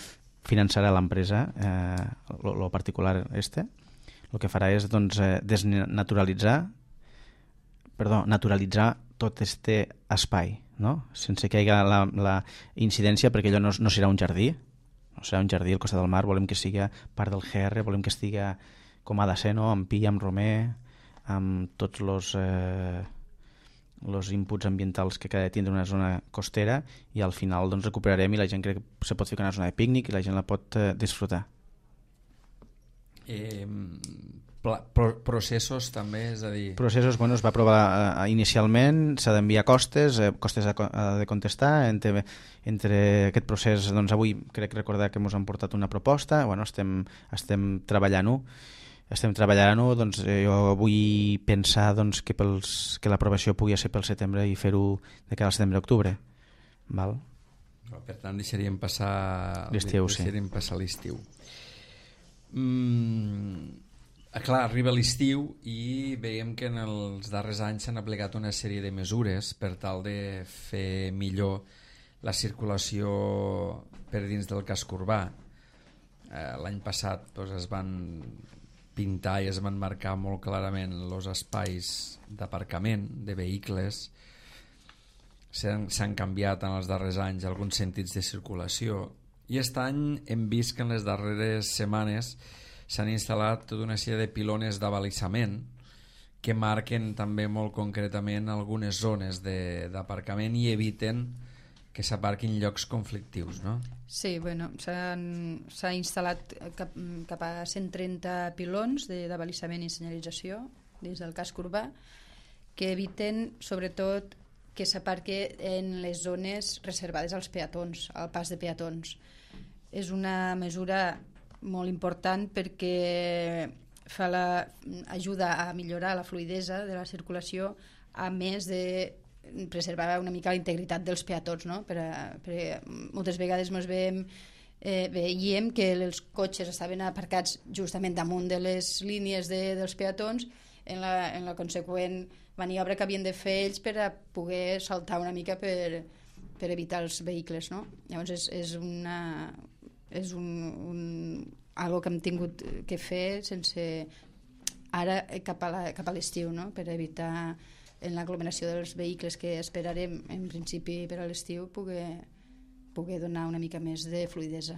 finançarà l'empresa, el particular el que farà és naturalitzar tot este espai, no?, sense que hi hagi la incidència, perquè allò no serà un jardí, no serà un jardí al costat del mar, volem que sigui part del GR, volem que estigui com ha de ser, no?, amb pi, amb romer, amb tots els inputs ambientals que ha de tindre una zona costera, i al final recuperarem i la gent crec que se pot ficar en una zona de pícnic i la gent la pot disfrutar. Processos també, és a dir... Processos, es va aprovar inicialment, s'ha d'enviar costes ha de contestar, entre aquest procés, avui crec recordar que ens han portat una proposta, estem treballant-ho, jo vull pensar que l'aprovació pugui ser pel setembre i fer-ho de cara al setembre-octubre. Per tant, deixaríem passar l'estiu. Clar, arriba l'estiu i veiem que en els darrers anys s'han aplicat una sèrie de mesures per tal de fer millor la circulació per dins del casc urbà. L'any passat es van pintar i es van marcar molt clarament els espais d'aparcament de vehicles. S'han canviat en els darrers anys alguns sentits de circulació i aquest any hem vist que en les darreres setmanes s'han instal·lat tota una sèrie de pilones d'abalisament que marquen també molt concretament algunes zones d'aparcament i eviten que s'aparquin llocs conflictius, no? Sí, bueno, s'ha instal·lat cap a 130 pilons d'abalisament i senyalització dins del casc urbà que eviten, sobretot, que s'aparque en les zones reservades als peatons, al pas de peatons. És una mesura molt important perquè ajuda a millorar la fluidesa de la circulació, a més de preservar una mica la integritat dels peatons, no? Perquè moltes vegades veiem que els cotxes estaven aparcats justament damunt de les línies dels peatons en la conseqüent maniobra que havien de fer ells per a poder saltar una mica per evitar els vehicles, no? Llavors és algo que hem tingut que fer sense ara cap a l'estiu, no? Per evitar en l'aglomeració dels vehicles que esperarem en principi per a l'estiu poder donar una mica més de fluidesa.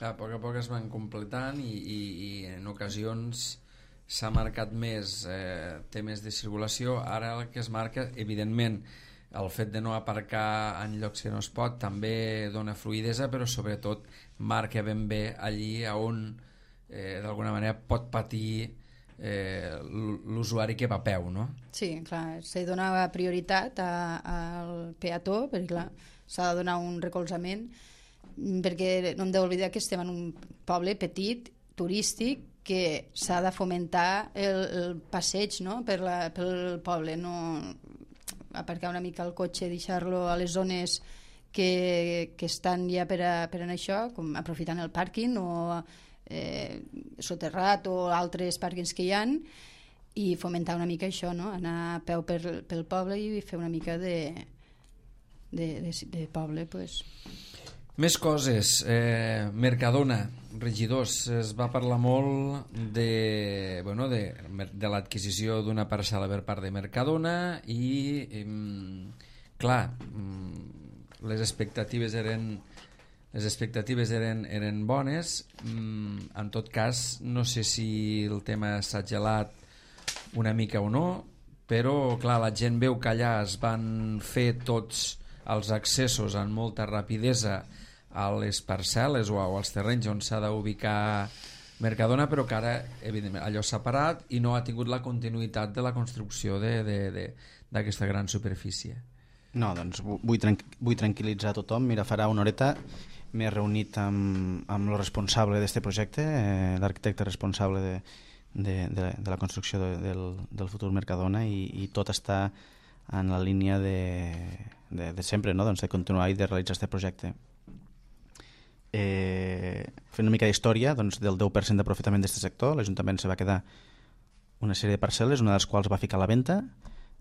A poc es van completant i en ocasions s'ha marcat més temes de circulació. Ara el que es marca, evidentment, el fet de no aparcar en llocs que no es pot també dona fluidesa, però sobretot marca ben bé allí on d'alguna manera pot patir l'usuari que va a peu, no? Sí, clar, se dona prioritat al peató, perquè clar, s'ha de donar un recolzament, perquè no hem d'oblidar que estem en un poble petit, turístic, que s'ha de fomentar el passeig, no? pel poble, no aparcar una mica el cotxe, deixar-lo a les zones que estan ja per a això, com aprofitant el pàrquing o soterrat o altres pàrquings que hi han, i fomentar una mica això, no? Anar a peu pel poble i fer una mica de poble, pues. Més coses. Mercadona, regidors, es va parlar molt de l'adquisició d'una parcel·la per part de Mercadona i clar, les expectatives eren bones. En tot cas, no sé si el tema s'ha gelat una mica o no, però clar, la gent veu que allà es van fer tots els accessos amb molta rapidesa a les parcel·les o als terrenys on s'ha d'ubicar Mercadona, però que ara evidentment allò s'ha parat i no ha tingut la continuïtat de la construcció d'aquesta gran superfície. No, doncs vull tranquil·litzar tothom. Mira, farà una horeta m'he reunit amb el responsable d'aquest projecte, l'arquitecte responsable de la construcció del futur Mercadona, i tot està en la línia de sempre, no? Doncs de continuar i de realitzar aquest projecte. Fent una mica d'història, doncs, del 10% d'aprofitament d'aquest sector, l'Ajuntament se va quedar una sèrie de parcel·les, una de les quals va ficar a la venda,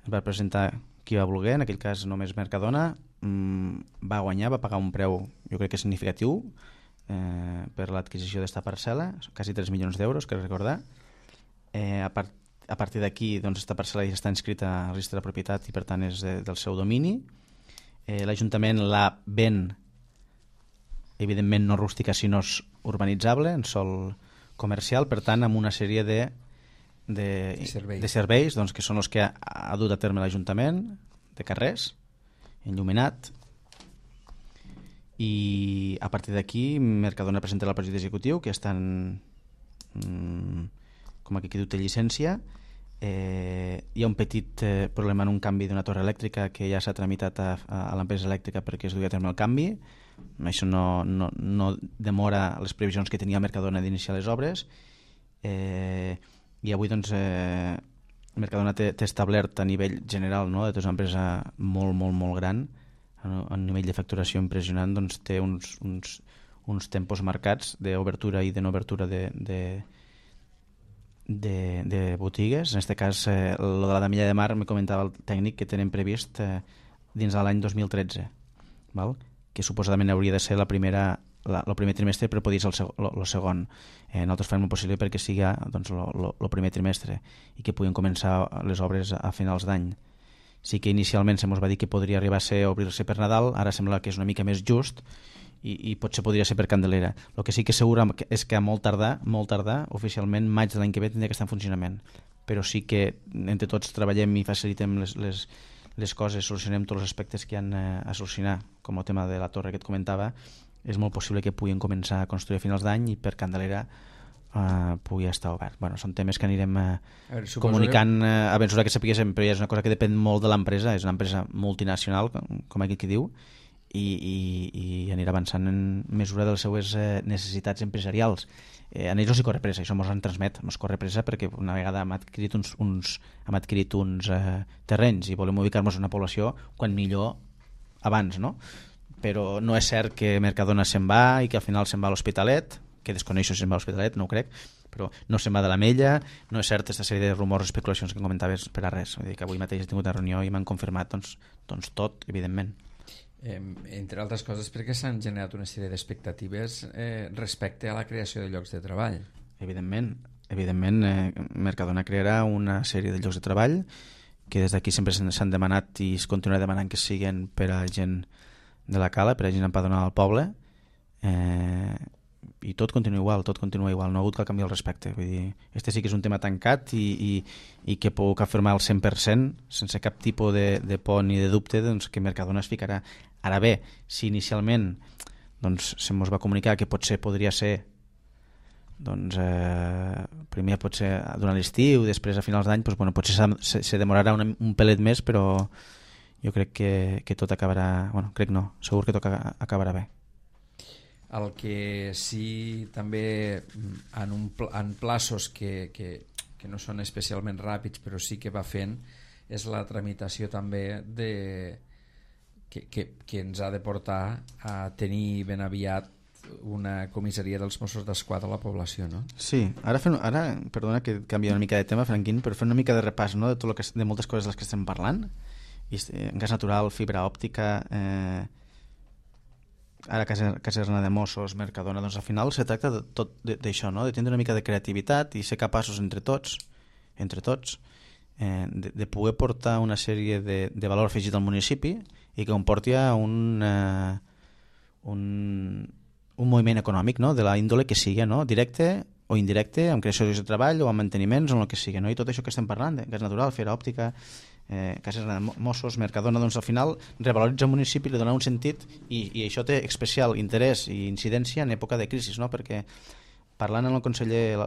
es va presentar qui va voler, en aquell cas només Mercadona, va guanyar, va pagar un preu jo crec que significatiu per l'adquisició d'esta parcel·la, quasi 3 milions d'euros, que recordar. A partir d'aquí, doncs, esta parcel·la ja està inscrita al registre de propietat i per tant és del seu domini. L'Ajuntament la ven, evidentment no rústica sinó urbanitzable, en sòl comercial, per tant amb una sèrie de serveis doncs, que són els que ha dut a terme l'Ajuntament, de carrers, enllumenat, i a partir d'aquí Mercadona presenta el projecte executiu, que estan com aquí diu té llicència. Hi ha un petit problema en un canvi d'una torre elèctrica que ja s'ha tramitat a l'empresa elèctrica perquè es dugui a terme el canvi. Això no demora les previsions que tenia Mercadona d'iniciar les obres, i avui doncs Mercadona té establert a nivell general, no? És una empresa molt gran, a nivell de facturació impressionant, doncs té uns tempos marcats d'obertura i de no obertura de botigues. En aquest cas, lo de la Damella de Mar, me comentava el tècnic que tenen previst dins de l'any 2013, val? Que suposadament hauria de ser el primer trimestre, però podria ser el segon. Nosaltres farem el possible perquè sigui doncs, el primer trimestre i que puguin començar les obres a finals d'any. Sí que inicialment se mos va dir que podria arribar a obrir-se per Nadal, ara sembla que és una mica més just i potser podria ser per Candelera. El que sí que és segur és que a molt tardar, oficialment maig de l'any que ve tindria que estar en funcionament, però sí que entre tots treballem i facilitem les coses, solucionem tots els aspectes que hi ha a solucionar, com el tema de la torre que et comentava. És molt possible que puguin començar a construir a finals d'any i per Candelera pugui estar obert. Bueno, són temes que anirem comunicant a mesura que sapiguéssim, però ja és una cosa que depèn molt de l'empresa, és una empresa multinacional, com aquí qui diu, i anirà avançant en mesura de les seues necessitats empresarials. A ells no s'hi corre pressa, això ens en transmet, ens corre pressa perquè una vegada hem adquirit uns terrenys i volem ubicar-nos en una població quan millor abans, no? Però no és cert que Mercadona se'n va i que al final se'n va a l'Hospitalet, que desconeixo si se'n va a l'Hospitalet, no ho crec, però no se'n va de l'Ametlla, no és cert aquesta sèrie de rumors, especulacions que comentaves per a res. Vull dir que avui mateix he tingut una reunió i m'han confirmat doncs tot, evidentment. Entre altres coses perquè s'han generat una sèrie d'expectatives respecte a la creació de llocs de treball. Evidentment, Mercadona crearà una sèrie de llocs de treball que des d'aquí sempre s'han demanat i es continuarà demanant que siguin per a gent de la Cala, per a gent empadronada al poble, i tot continua igual, no ha hagut cap canvi al respecte. Vull dir, este sí que és un tema tancat i que puc afirmar al 100% sense cap tipus de por ni de dubte doncs, que Mercadona es ficarà. Ara bé, si inicialment doncs, se mos va comunicar que podria ser doncs, primer potser durant l'estiu, després a finals d'any, doncs, bueno, potser se demorarà un pelet més, però jo crec que tot acabarà, bueno, crec no, segur que tot acabarà bé. El que sí també en plaços que no són especialment ràpids però sí que va fent és la tramitació també que ens ha de portar a tenir ben aviat una comissaria dels Mossos d'Esquadra a la població, no? Sí, ara perdona que canvia una mica de tema, Franquín, però fem una mica de repàs, no?, de moltes coses de les que estem parlant. Gas natural, fibra òptica, ara caserna de Mossos, Mercadona, doncs al final se tracta de tot d'això, no?, de tindre una mica de creativitat i ser capaços entre tots de poder portar una sèrie de valor afegit al municipi i que comporti un moviment econòmic, no?, de la índole que sigui, no?, directe o indirecte, amb creació de treball o amb manteniments o el que sigui, no?, i tot això que estem parlant, gas natural, fibra òptica, caserna de Mossos, Mercadona, doncs al final revaloritza el municipi, li dona un sentit i això té especial interès i incidència en època de crisi, no?, perquè parlant amb el conseller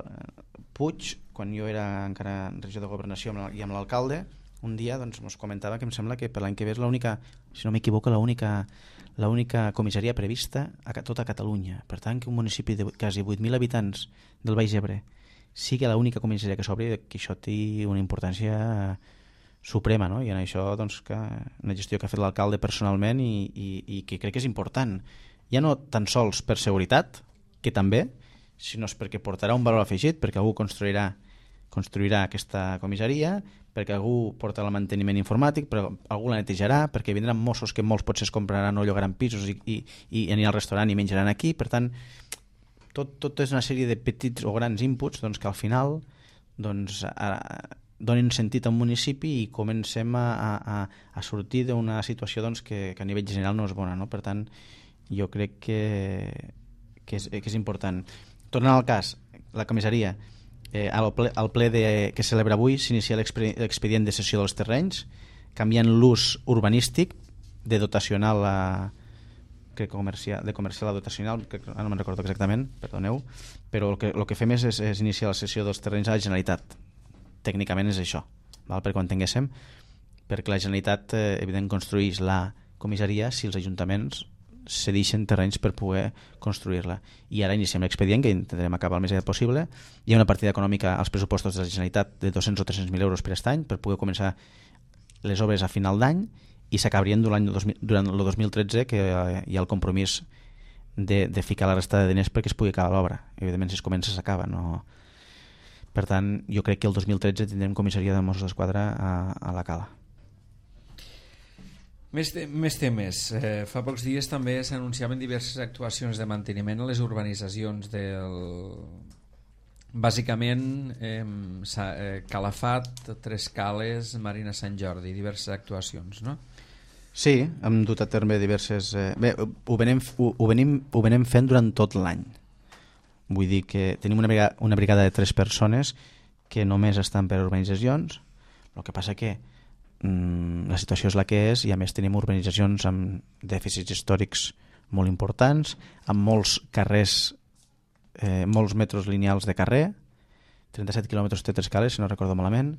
Puig, quan jo era encara en regió de governació i amb l'alcalde, un dia doncs ens comentava que em sembla que per l'any que ve és l'única, si no m'equivoco, l'única comissaria prevista a tota Catalunya. Per tant, que un municipi de quasi 8.000 habitants del Baix Ebre sigui l'única comissaria que s'obri, que això té una importància suprema, no? I en això doncs, que una gestió que ha fet l'alcalde personalment i que crec que és important, ja no tan sols per seguretat, que també, sinó perquè portarà un valor afegit, perquè algú construirà aquesta comissaria, perquè algú portarà el manteniment informàtic, però algú la netejarà, perquè vindran Mossos que molts potser es compraran o llogaran pisos i aniran al restaurant i menjaran aquí. Per tant, tot és una sèrie de petits o grans inputs doncs, que al final doncs, donin sentit a un municipi i comencem a sortir d'una situació doncs, que a nivell general no és bona, no? Per tant, jo crec que és important. Tornant al cas, la comissaria, al ple que celebra avui s'inicia l'expedient de cessió dels terrenys, canviant l'ús urbanístic de dotacional de comercial a dotacional, no me'n recordo exactament, perdoneu, però el que fem és iniciar la cessió dels terrenys a la Generalitat. Tècnicament és això, perquè ho entenguéssim, perquè la Generalitat evidentment construeix la comissaria si els ajuntaments cedeixen terrenys per poder construir-la. I ara iniciem l'expedient, que intentarem acabar el més aviat possible. Hi ha una partida econòmica als pressupostos de la Generalitat de 200 o 300.000 euros per aquest any per poder començar les obres a final d'any i s'acabarien durant el 2013, que hi ha el compromís de ficar la resta de diners perquè es pugui acabar l'obra. Evidentment, si es comença, s'acaba. No? Per tant, jo crec que el 2013 tindrem comissaria de Mossos d'Esquadra a la Cala. Més temes. Fa pocs dies també s'anunciaven diverses actuacions de manteniment a les urbanitzacions bàsicament Calafat, Tres Cales, Marina Sant Jordi, diverses actuacions, no? Sí, hem dut a terme diverses... Bé, ho venim fent durant tot l'any. Vull dir que tenim una brigada de 3 persones que només estan per urbanitzacions. El que passa que la situació és la que és, i a més tenim urbanitzacions amb dèficits històrics molt importants, amb molts carrers, molts metros lineals de carrer, 37 quilòmetres té 3 cales, si no recordo malament,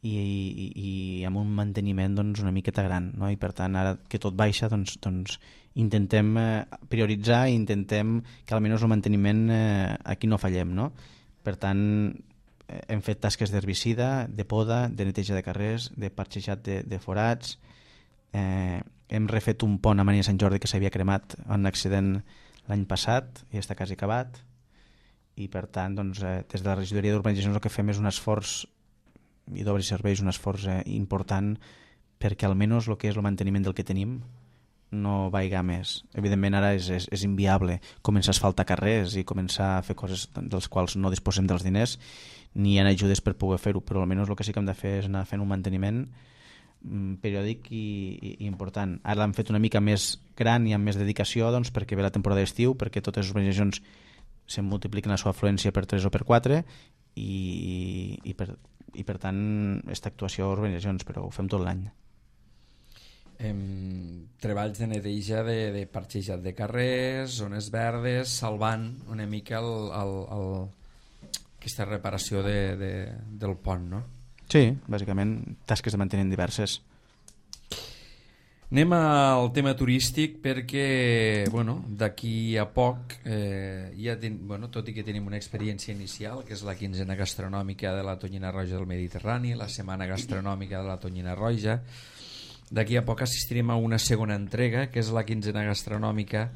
i amb un manteniment doncs, una miqueta gran, no? I per tant ara que tot baixa doncs intentem prioritzar i intentem que almenys el manteniment aquí no fallem, no? Per tant hem fet tasques d'herbicida, de poda, de neteja de carrers, de parxejat de forats, hem refet un pont a Maria Sant Jordi que s'havia cremat en un accident l'any passat i està quasi acabat, i per tant doncs, des de la regidoria d'urbanitzacions el que fem és un esforç, i d'obres i serveis, un esforç important perquè almenys el que és el manteniment del que tenim no vaiga més. Evidentment ara és inviable començar a asfaltar carrers i començar a fer coses dels quals no disposem dels diners, ni hi ha ajudes per poder fer-ho, però almenys el que sí que hem de fer és anar fent un manteniment periòdic i important. Ara l'hem fet una mica més gran i amb més dedicació doncs, perquè ve la temporada d'estiu, perquè totes les urbanitzacions se multipliquen la seva afluència per 3 o per 4 i per tant aquesta actuació a urbanitzacions, però ho fem tot l'any. Treballs de neteja de parxejat de carrers, zones verdes, salvant una mica aquesta reparació del pont, no? Sí, bàsicament tasques de manteniment diverses. Anem al tema turístic perquè d'aquí a poc tot i que tenim una experiència inicial que és la quinzena gastronòmica de la Tonyina Roja del Mediterrani, la setmana gastronòmica de la Tonyina Roja, d'aquí a poc assistirem a una segona entrega que és la quinzena gastronòmica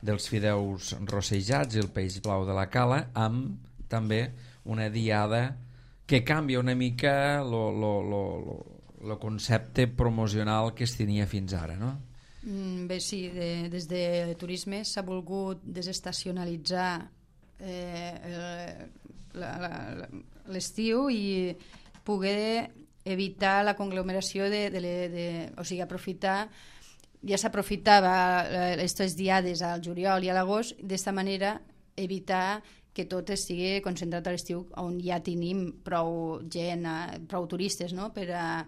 dels fideus rossejats i el peix blau de la cala, amb també una diada que canvia una mica el concepte promocional que es tenia fins ara, no? Bé, sí, des de turisme s'ha volgut desestacionalitzar l'estiu i poder evitar la conglomeració o sigui, aprofitar, ja s'aprofitava aquestes diades al juliol i a l'agost, d'esta manera evitar que tot estigui concentrat a l'estiu on ja tenim prou gent, prou turistes, no? per a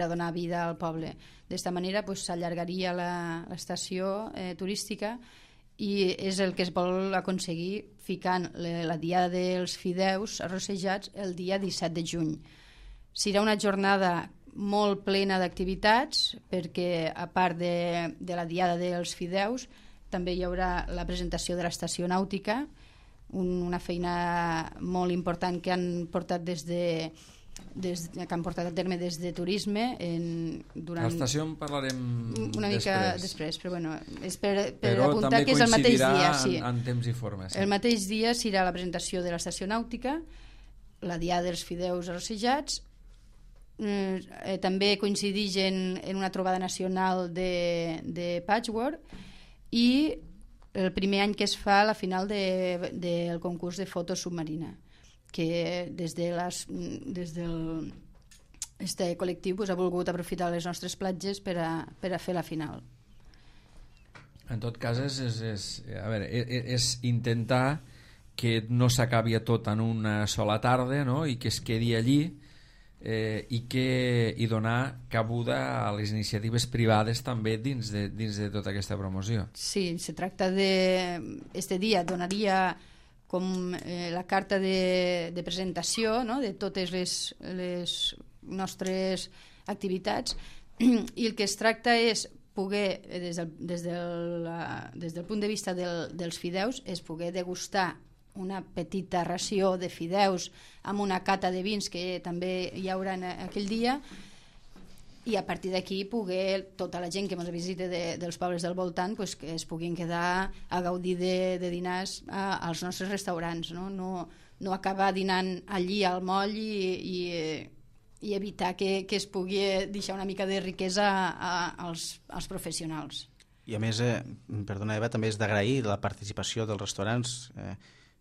donar vida al poble. D'esta manera s'allargaria l'estació turística i és el que es vol aconseguir ficant la diada dels fideus arrossejats el dia 17 de juny. Serà una jornada molt plena d'activitats perquè a part de la diada dels fideus també hi haurà la presentació de l'estació nàutica, una feina molt important que han portat que han portat a terme des de turisme durant... L'estació en parlarem una mica després, però és per però apuntar que és el mateix dia. Sí. En temps i forma. Sí. El mateix dia serà la presentació de l'estació nàutica, la diada dels fideus arrossejats, també coincideix en una trobada nacional de patchwork i el primer any que es fa la final del concurs de foto submarina, que des del col·lectiu ha volgut aprofitar les nostres platges per a fer la final. En tot cas és intentar que no s'acabi tot en una sola tarda, no? I que es quedi allí i donar cabuda a les iniciatives privades també dins de tota aquesta promoció. Sí, se tracta de... Este dia donaria com la carta de presentació, no? De totes les nostres activitats, i el que es tracta és poder, des del punt de vista dels fideus, és poder degustar una petita ració de fideus amb una cata de vins que també hi haurà aquell dia, i a partir d'aquí poder tota la gent que ens visita dels pobles del voltant que es puguin quedar a gaudir de dinars als nostres restaurants, no acabar dinant allí al moll i evitar que es pugui deixar una mica de riquesa als professionals. I a més, perdona Eva, també és d'agrair la participació dels restaurants,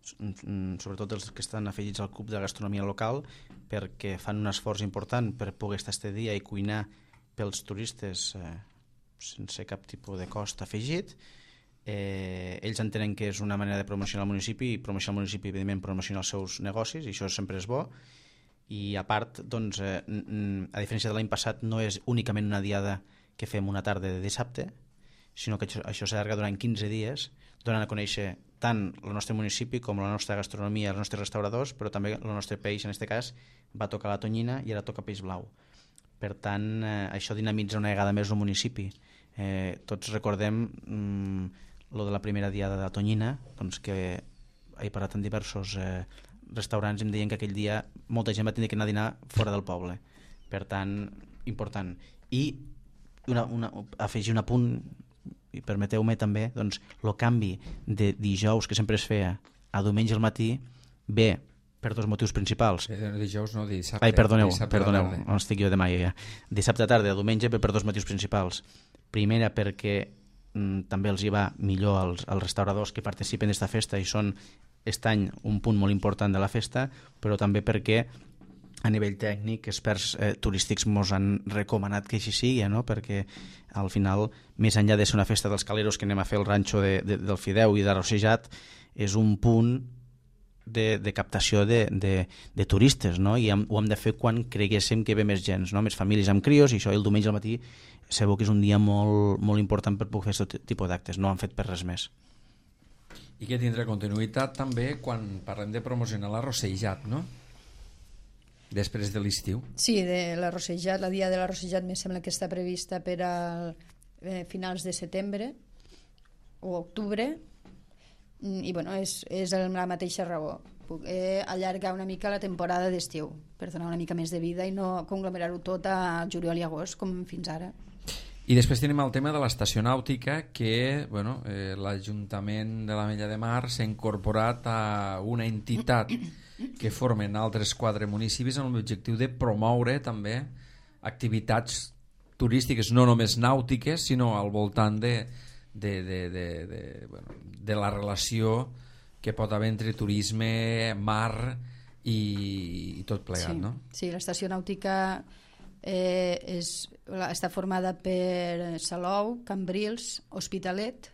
sobretot els que estan afegits al club de gastronomia local, perquè fan un esforç important per poder estar este dia i cuinar pels turistes sense cap tipus de cost afegit. Ells entenen que és una manera de promocionar el municipi, i promocionar el municipi, evidentment, promocionar els seus negocis, i això sempre és bo. I a part, doncs, a diferència de l'any passat, no és únicament una diada que fem una tarda de dissabte, sinó que això s'allarga durant 15 dies, donant a conèixer tant el nostre municipi com la nostra gastronomia, els nostres restauradors, però també el nostre peix, en aquest cas, va tocar la tonyina i ara toca peix blau. Per tant, això dinamitza una vegada més el municipi. Tots recordem lo de la primera diada de la tonyina, doncs que he parlat amb diversos restaurants i em deien que aquell dia molta gent va tenir que anar a dinar fora del poble. Per tant, important. I afegir un apunt, i permeteu-me també, doncs, el canvi de dijous que sempre es feia a diumenge al matí ve per dos motius principals. Dijous no, dissabte. Ai, perdoneu, no estic jo de mai ja. Dissabte a tarda, a diumenge ve per dos motius principals. Primera, perquè també els hi va millor als restauradors que participen d'esta festa i són aquest any un punt molt important de la festa, però també perquè a nivell tècnic experts turístics ens han recomanat que així sigui, no? Perquè al final, més enllà de ser una festa dels caleros que anem a fer el ranxo del Fideu i de Rossejat, és un punt de captació de turistes, no? I ho hem de fer quan creguéssim que ve més gent, no? Més famílies amb crios, i això el diumenge al matí sabeu que és un dia molt, molt important per poder fer aquest tipus d'actes, no han fet per res més. I que tindrà continuïtat també quan parlem de promocionar la Rossejat, no? Després de l'estiu. Sí, de la Rossejat, la dia de la Rossejat me sembla que està prevista per a finals de setembre o octubre, i bueno, és la mateixa raó. Allargar una mica la temporada d'estiu per donar una mica més de vida i no conglomerar-ho tot a juliol i agost com fins ara. I després tenim el tema de l'estació nàutica que l'Ajuntament de l'Ametlla de Mar s'ha incorporat a una entitat que formen altres 4 municipis amb l'objectiu de promoure també activitats turístiques, no només nàutiques, sinó al voltant de la relació que pot haver entre turisme, mar i tot plegat, sí, no? Sí, l'estació nàutica està formada per Salou, Cambrils, Hospitalet,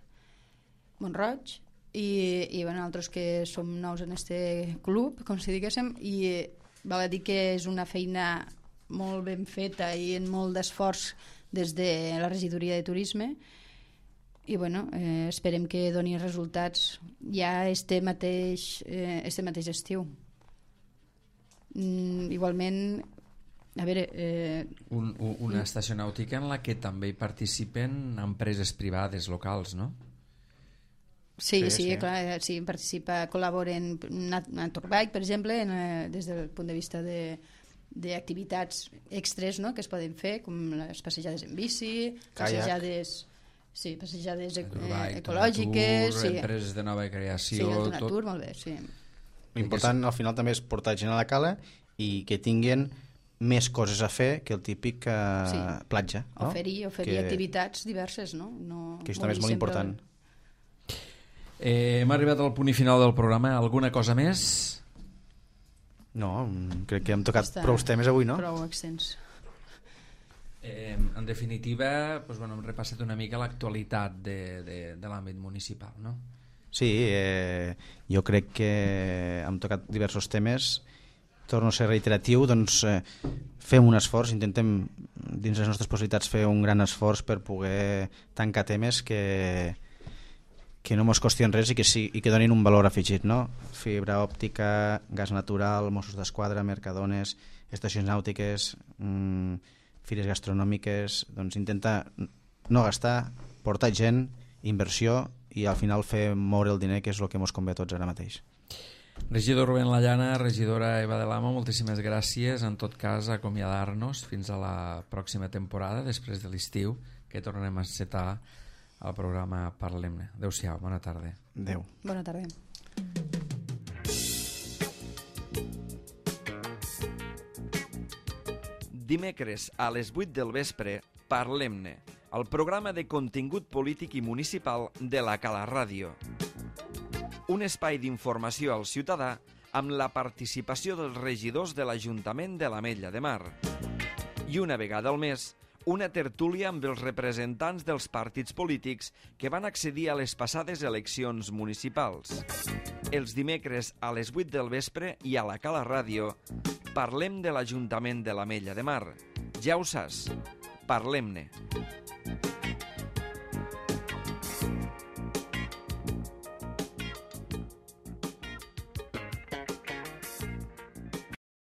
Mont-roig i altres que som nous en este club, com si diguéssim, i val a dir que és una feina molt ben feta i en molt d'esforç des de la regidoria de turisme i esperem que doni resultats ja este mateix estiu. Igualment, a veure... Una estació nàutica en la que també hi participen empreses privades locals, no? Sí, clar, sí, col·laboren Naturbike, per exemple, des del punt de vista d'activitats extres, no?, que es poden fer, com les passejades en bici, passejades ecològiques, empreses de nova creació, sí, el Tonatur, molt bé, sí. L'important al final també és portar gent a la cala i que tinguin més coses a fer que el típic platja, no? Oferir activitats diverses, no? Que això també és molt important. Hem arribat al punt i final del programa. Alguna cosa més? No, crec que hem tocat prou temes avui, no? Prou extens. En definitiva, hem repassat una mica l'actualitat de l'àmbit municipal, no? Sí, jo crec que hem tocat diversos temes. Torno a ser reiteratiu, doncs fem un esforç, intentem dins les nostres possibilitats fer un gran esforç per poder tancar temes que no ens costien res i que donin un valor afegit, no? Fibra òptica, gas natural, Mossos d'Esquadra, Mercadones, estacions nàutiques, fires gastronòmiques, doncs intentar no gastar, portar gent, inversió i al final fer moure el diner, que és el que ens convé a tots ara mateix. Regidor Rubén Lallana, regidora Eva de Lama, moltíssimes gràcies. En tot cas, acomiadar-nos fins a la pròxima temporada, després de l'estiu, que tornarem a encetar el programa Parlem-ne. Adéu-siau, bona tarda. Adéu. Bona tarda. Dimecres a les 8 del vespre, Parlem-ne, el programa de contingut polític i municipal de la Cala Ràdio. Un espai d'informació al ciutadà amb la participació dels regidors de l'Ajuntament de l'Ametlla de Mar. I una vegada al mes, una tertúlia amb els representants dels partits polítics que van accedir a les passades eleccions municipals. Els dimecres a les 8 del vespre i a la Cala Ràdio parlem de l'Ajuntament de l'Ametlla de Mar. Ja ho saps, parlem-ne.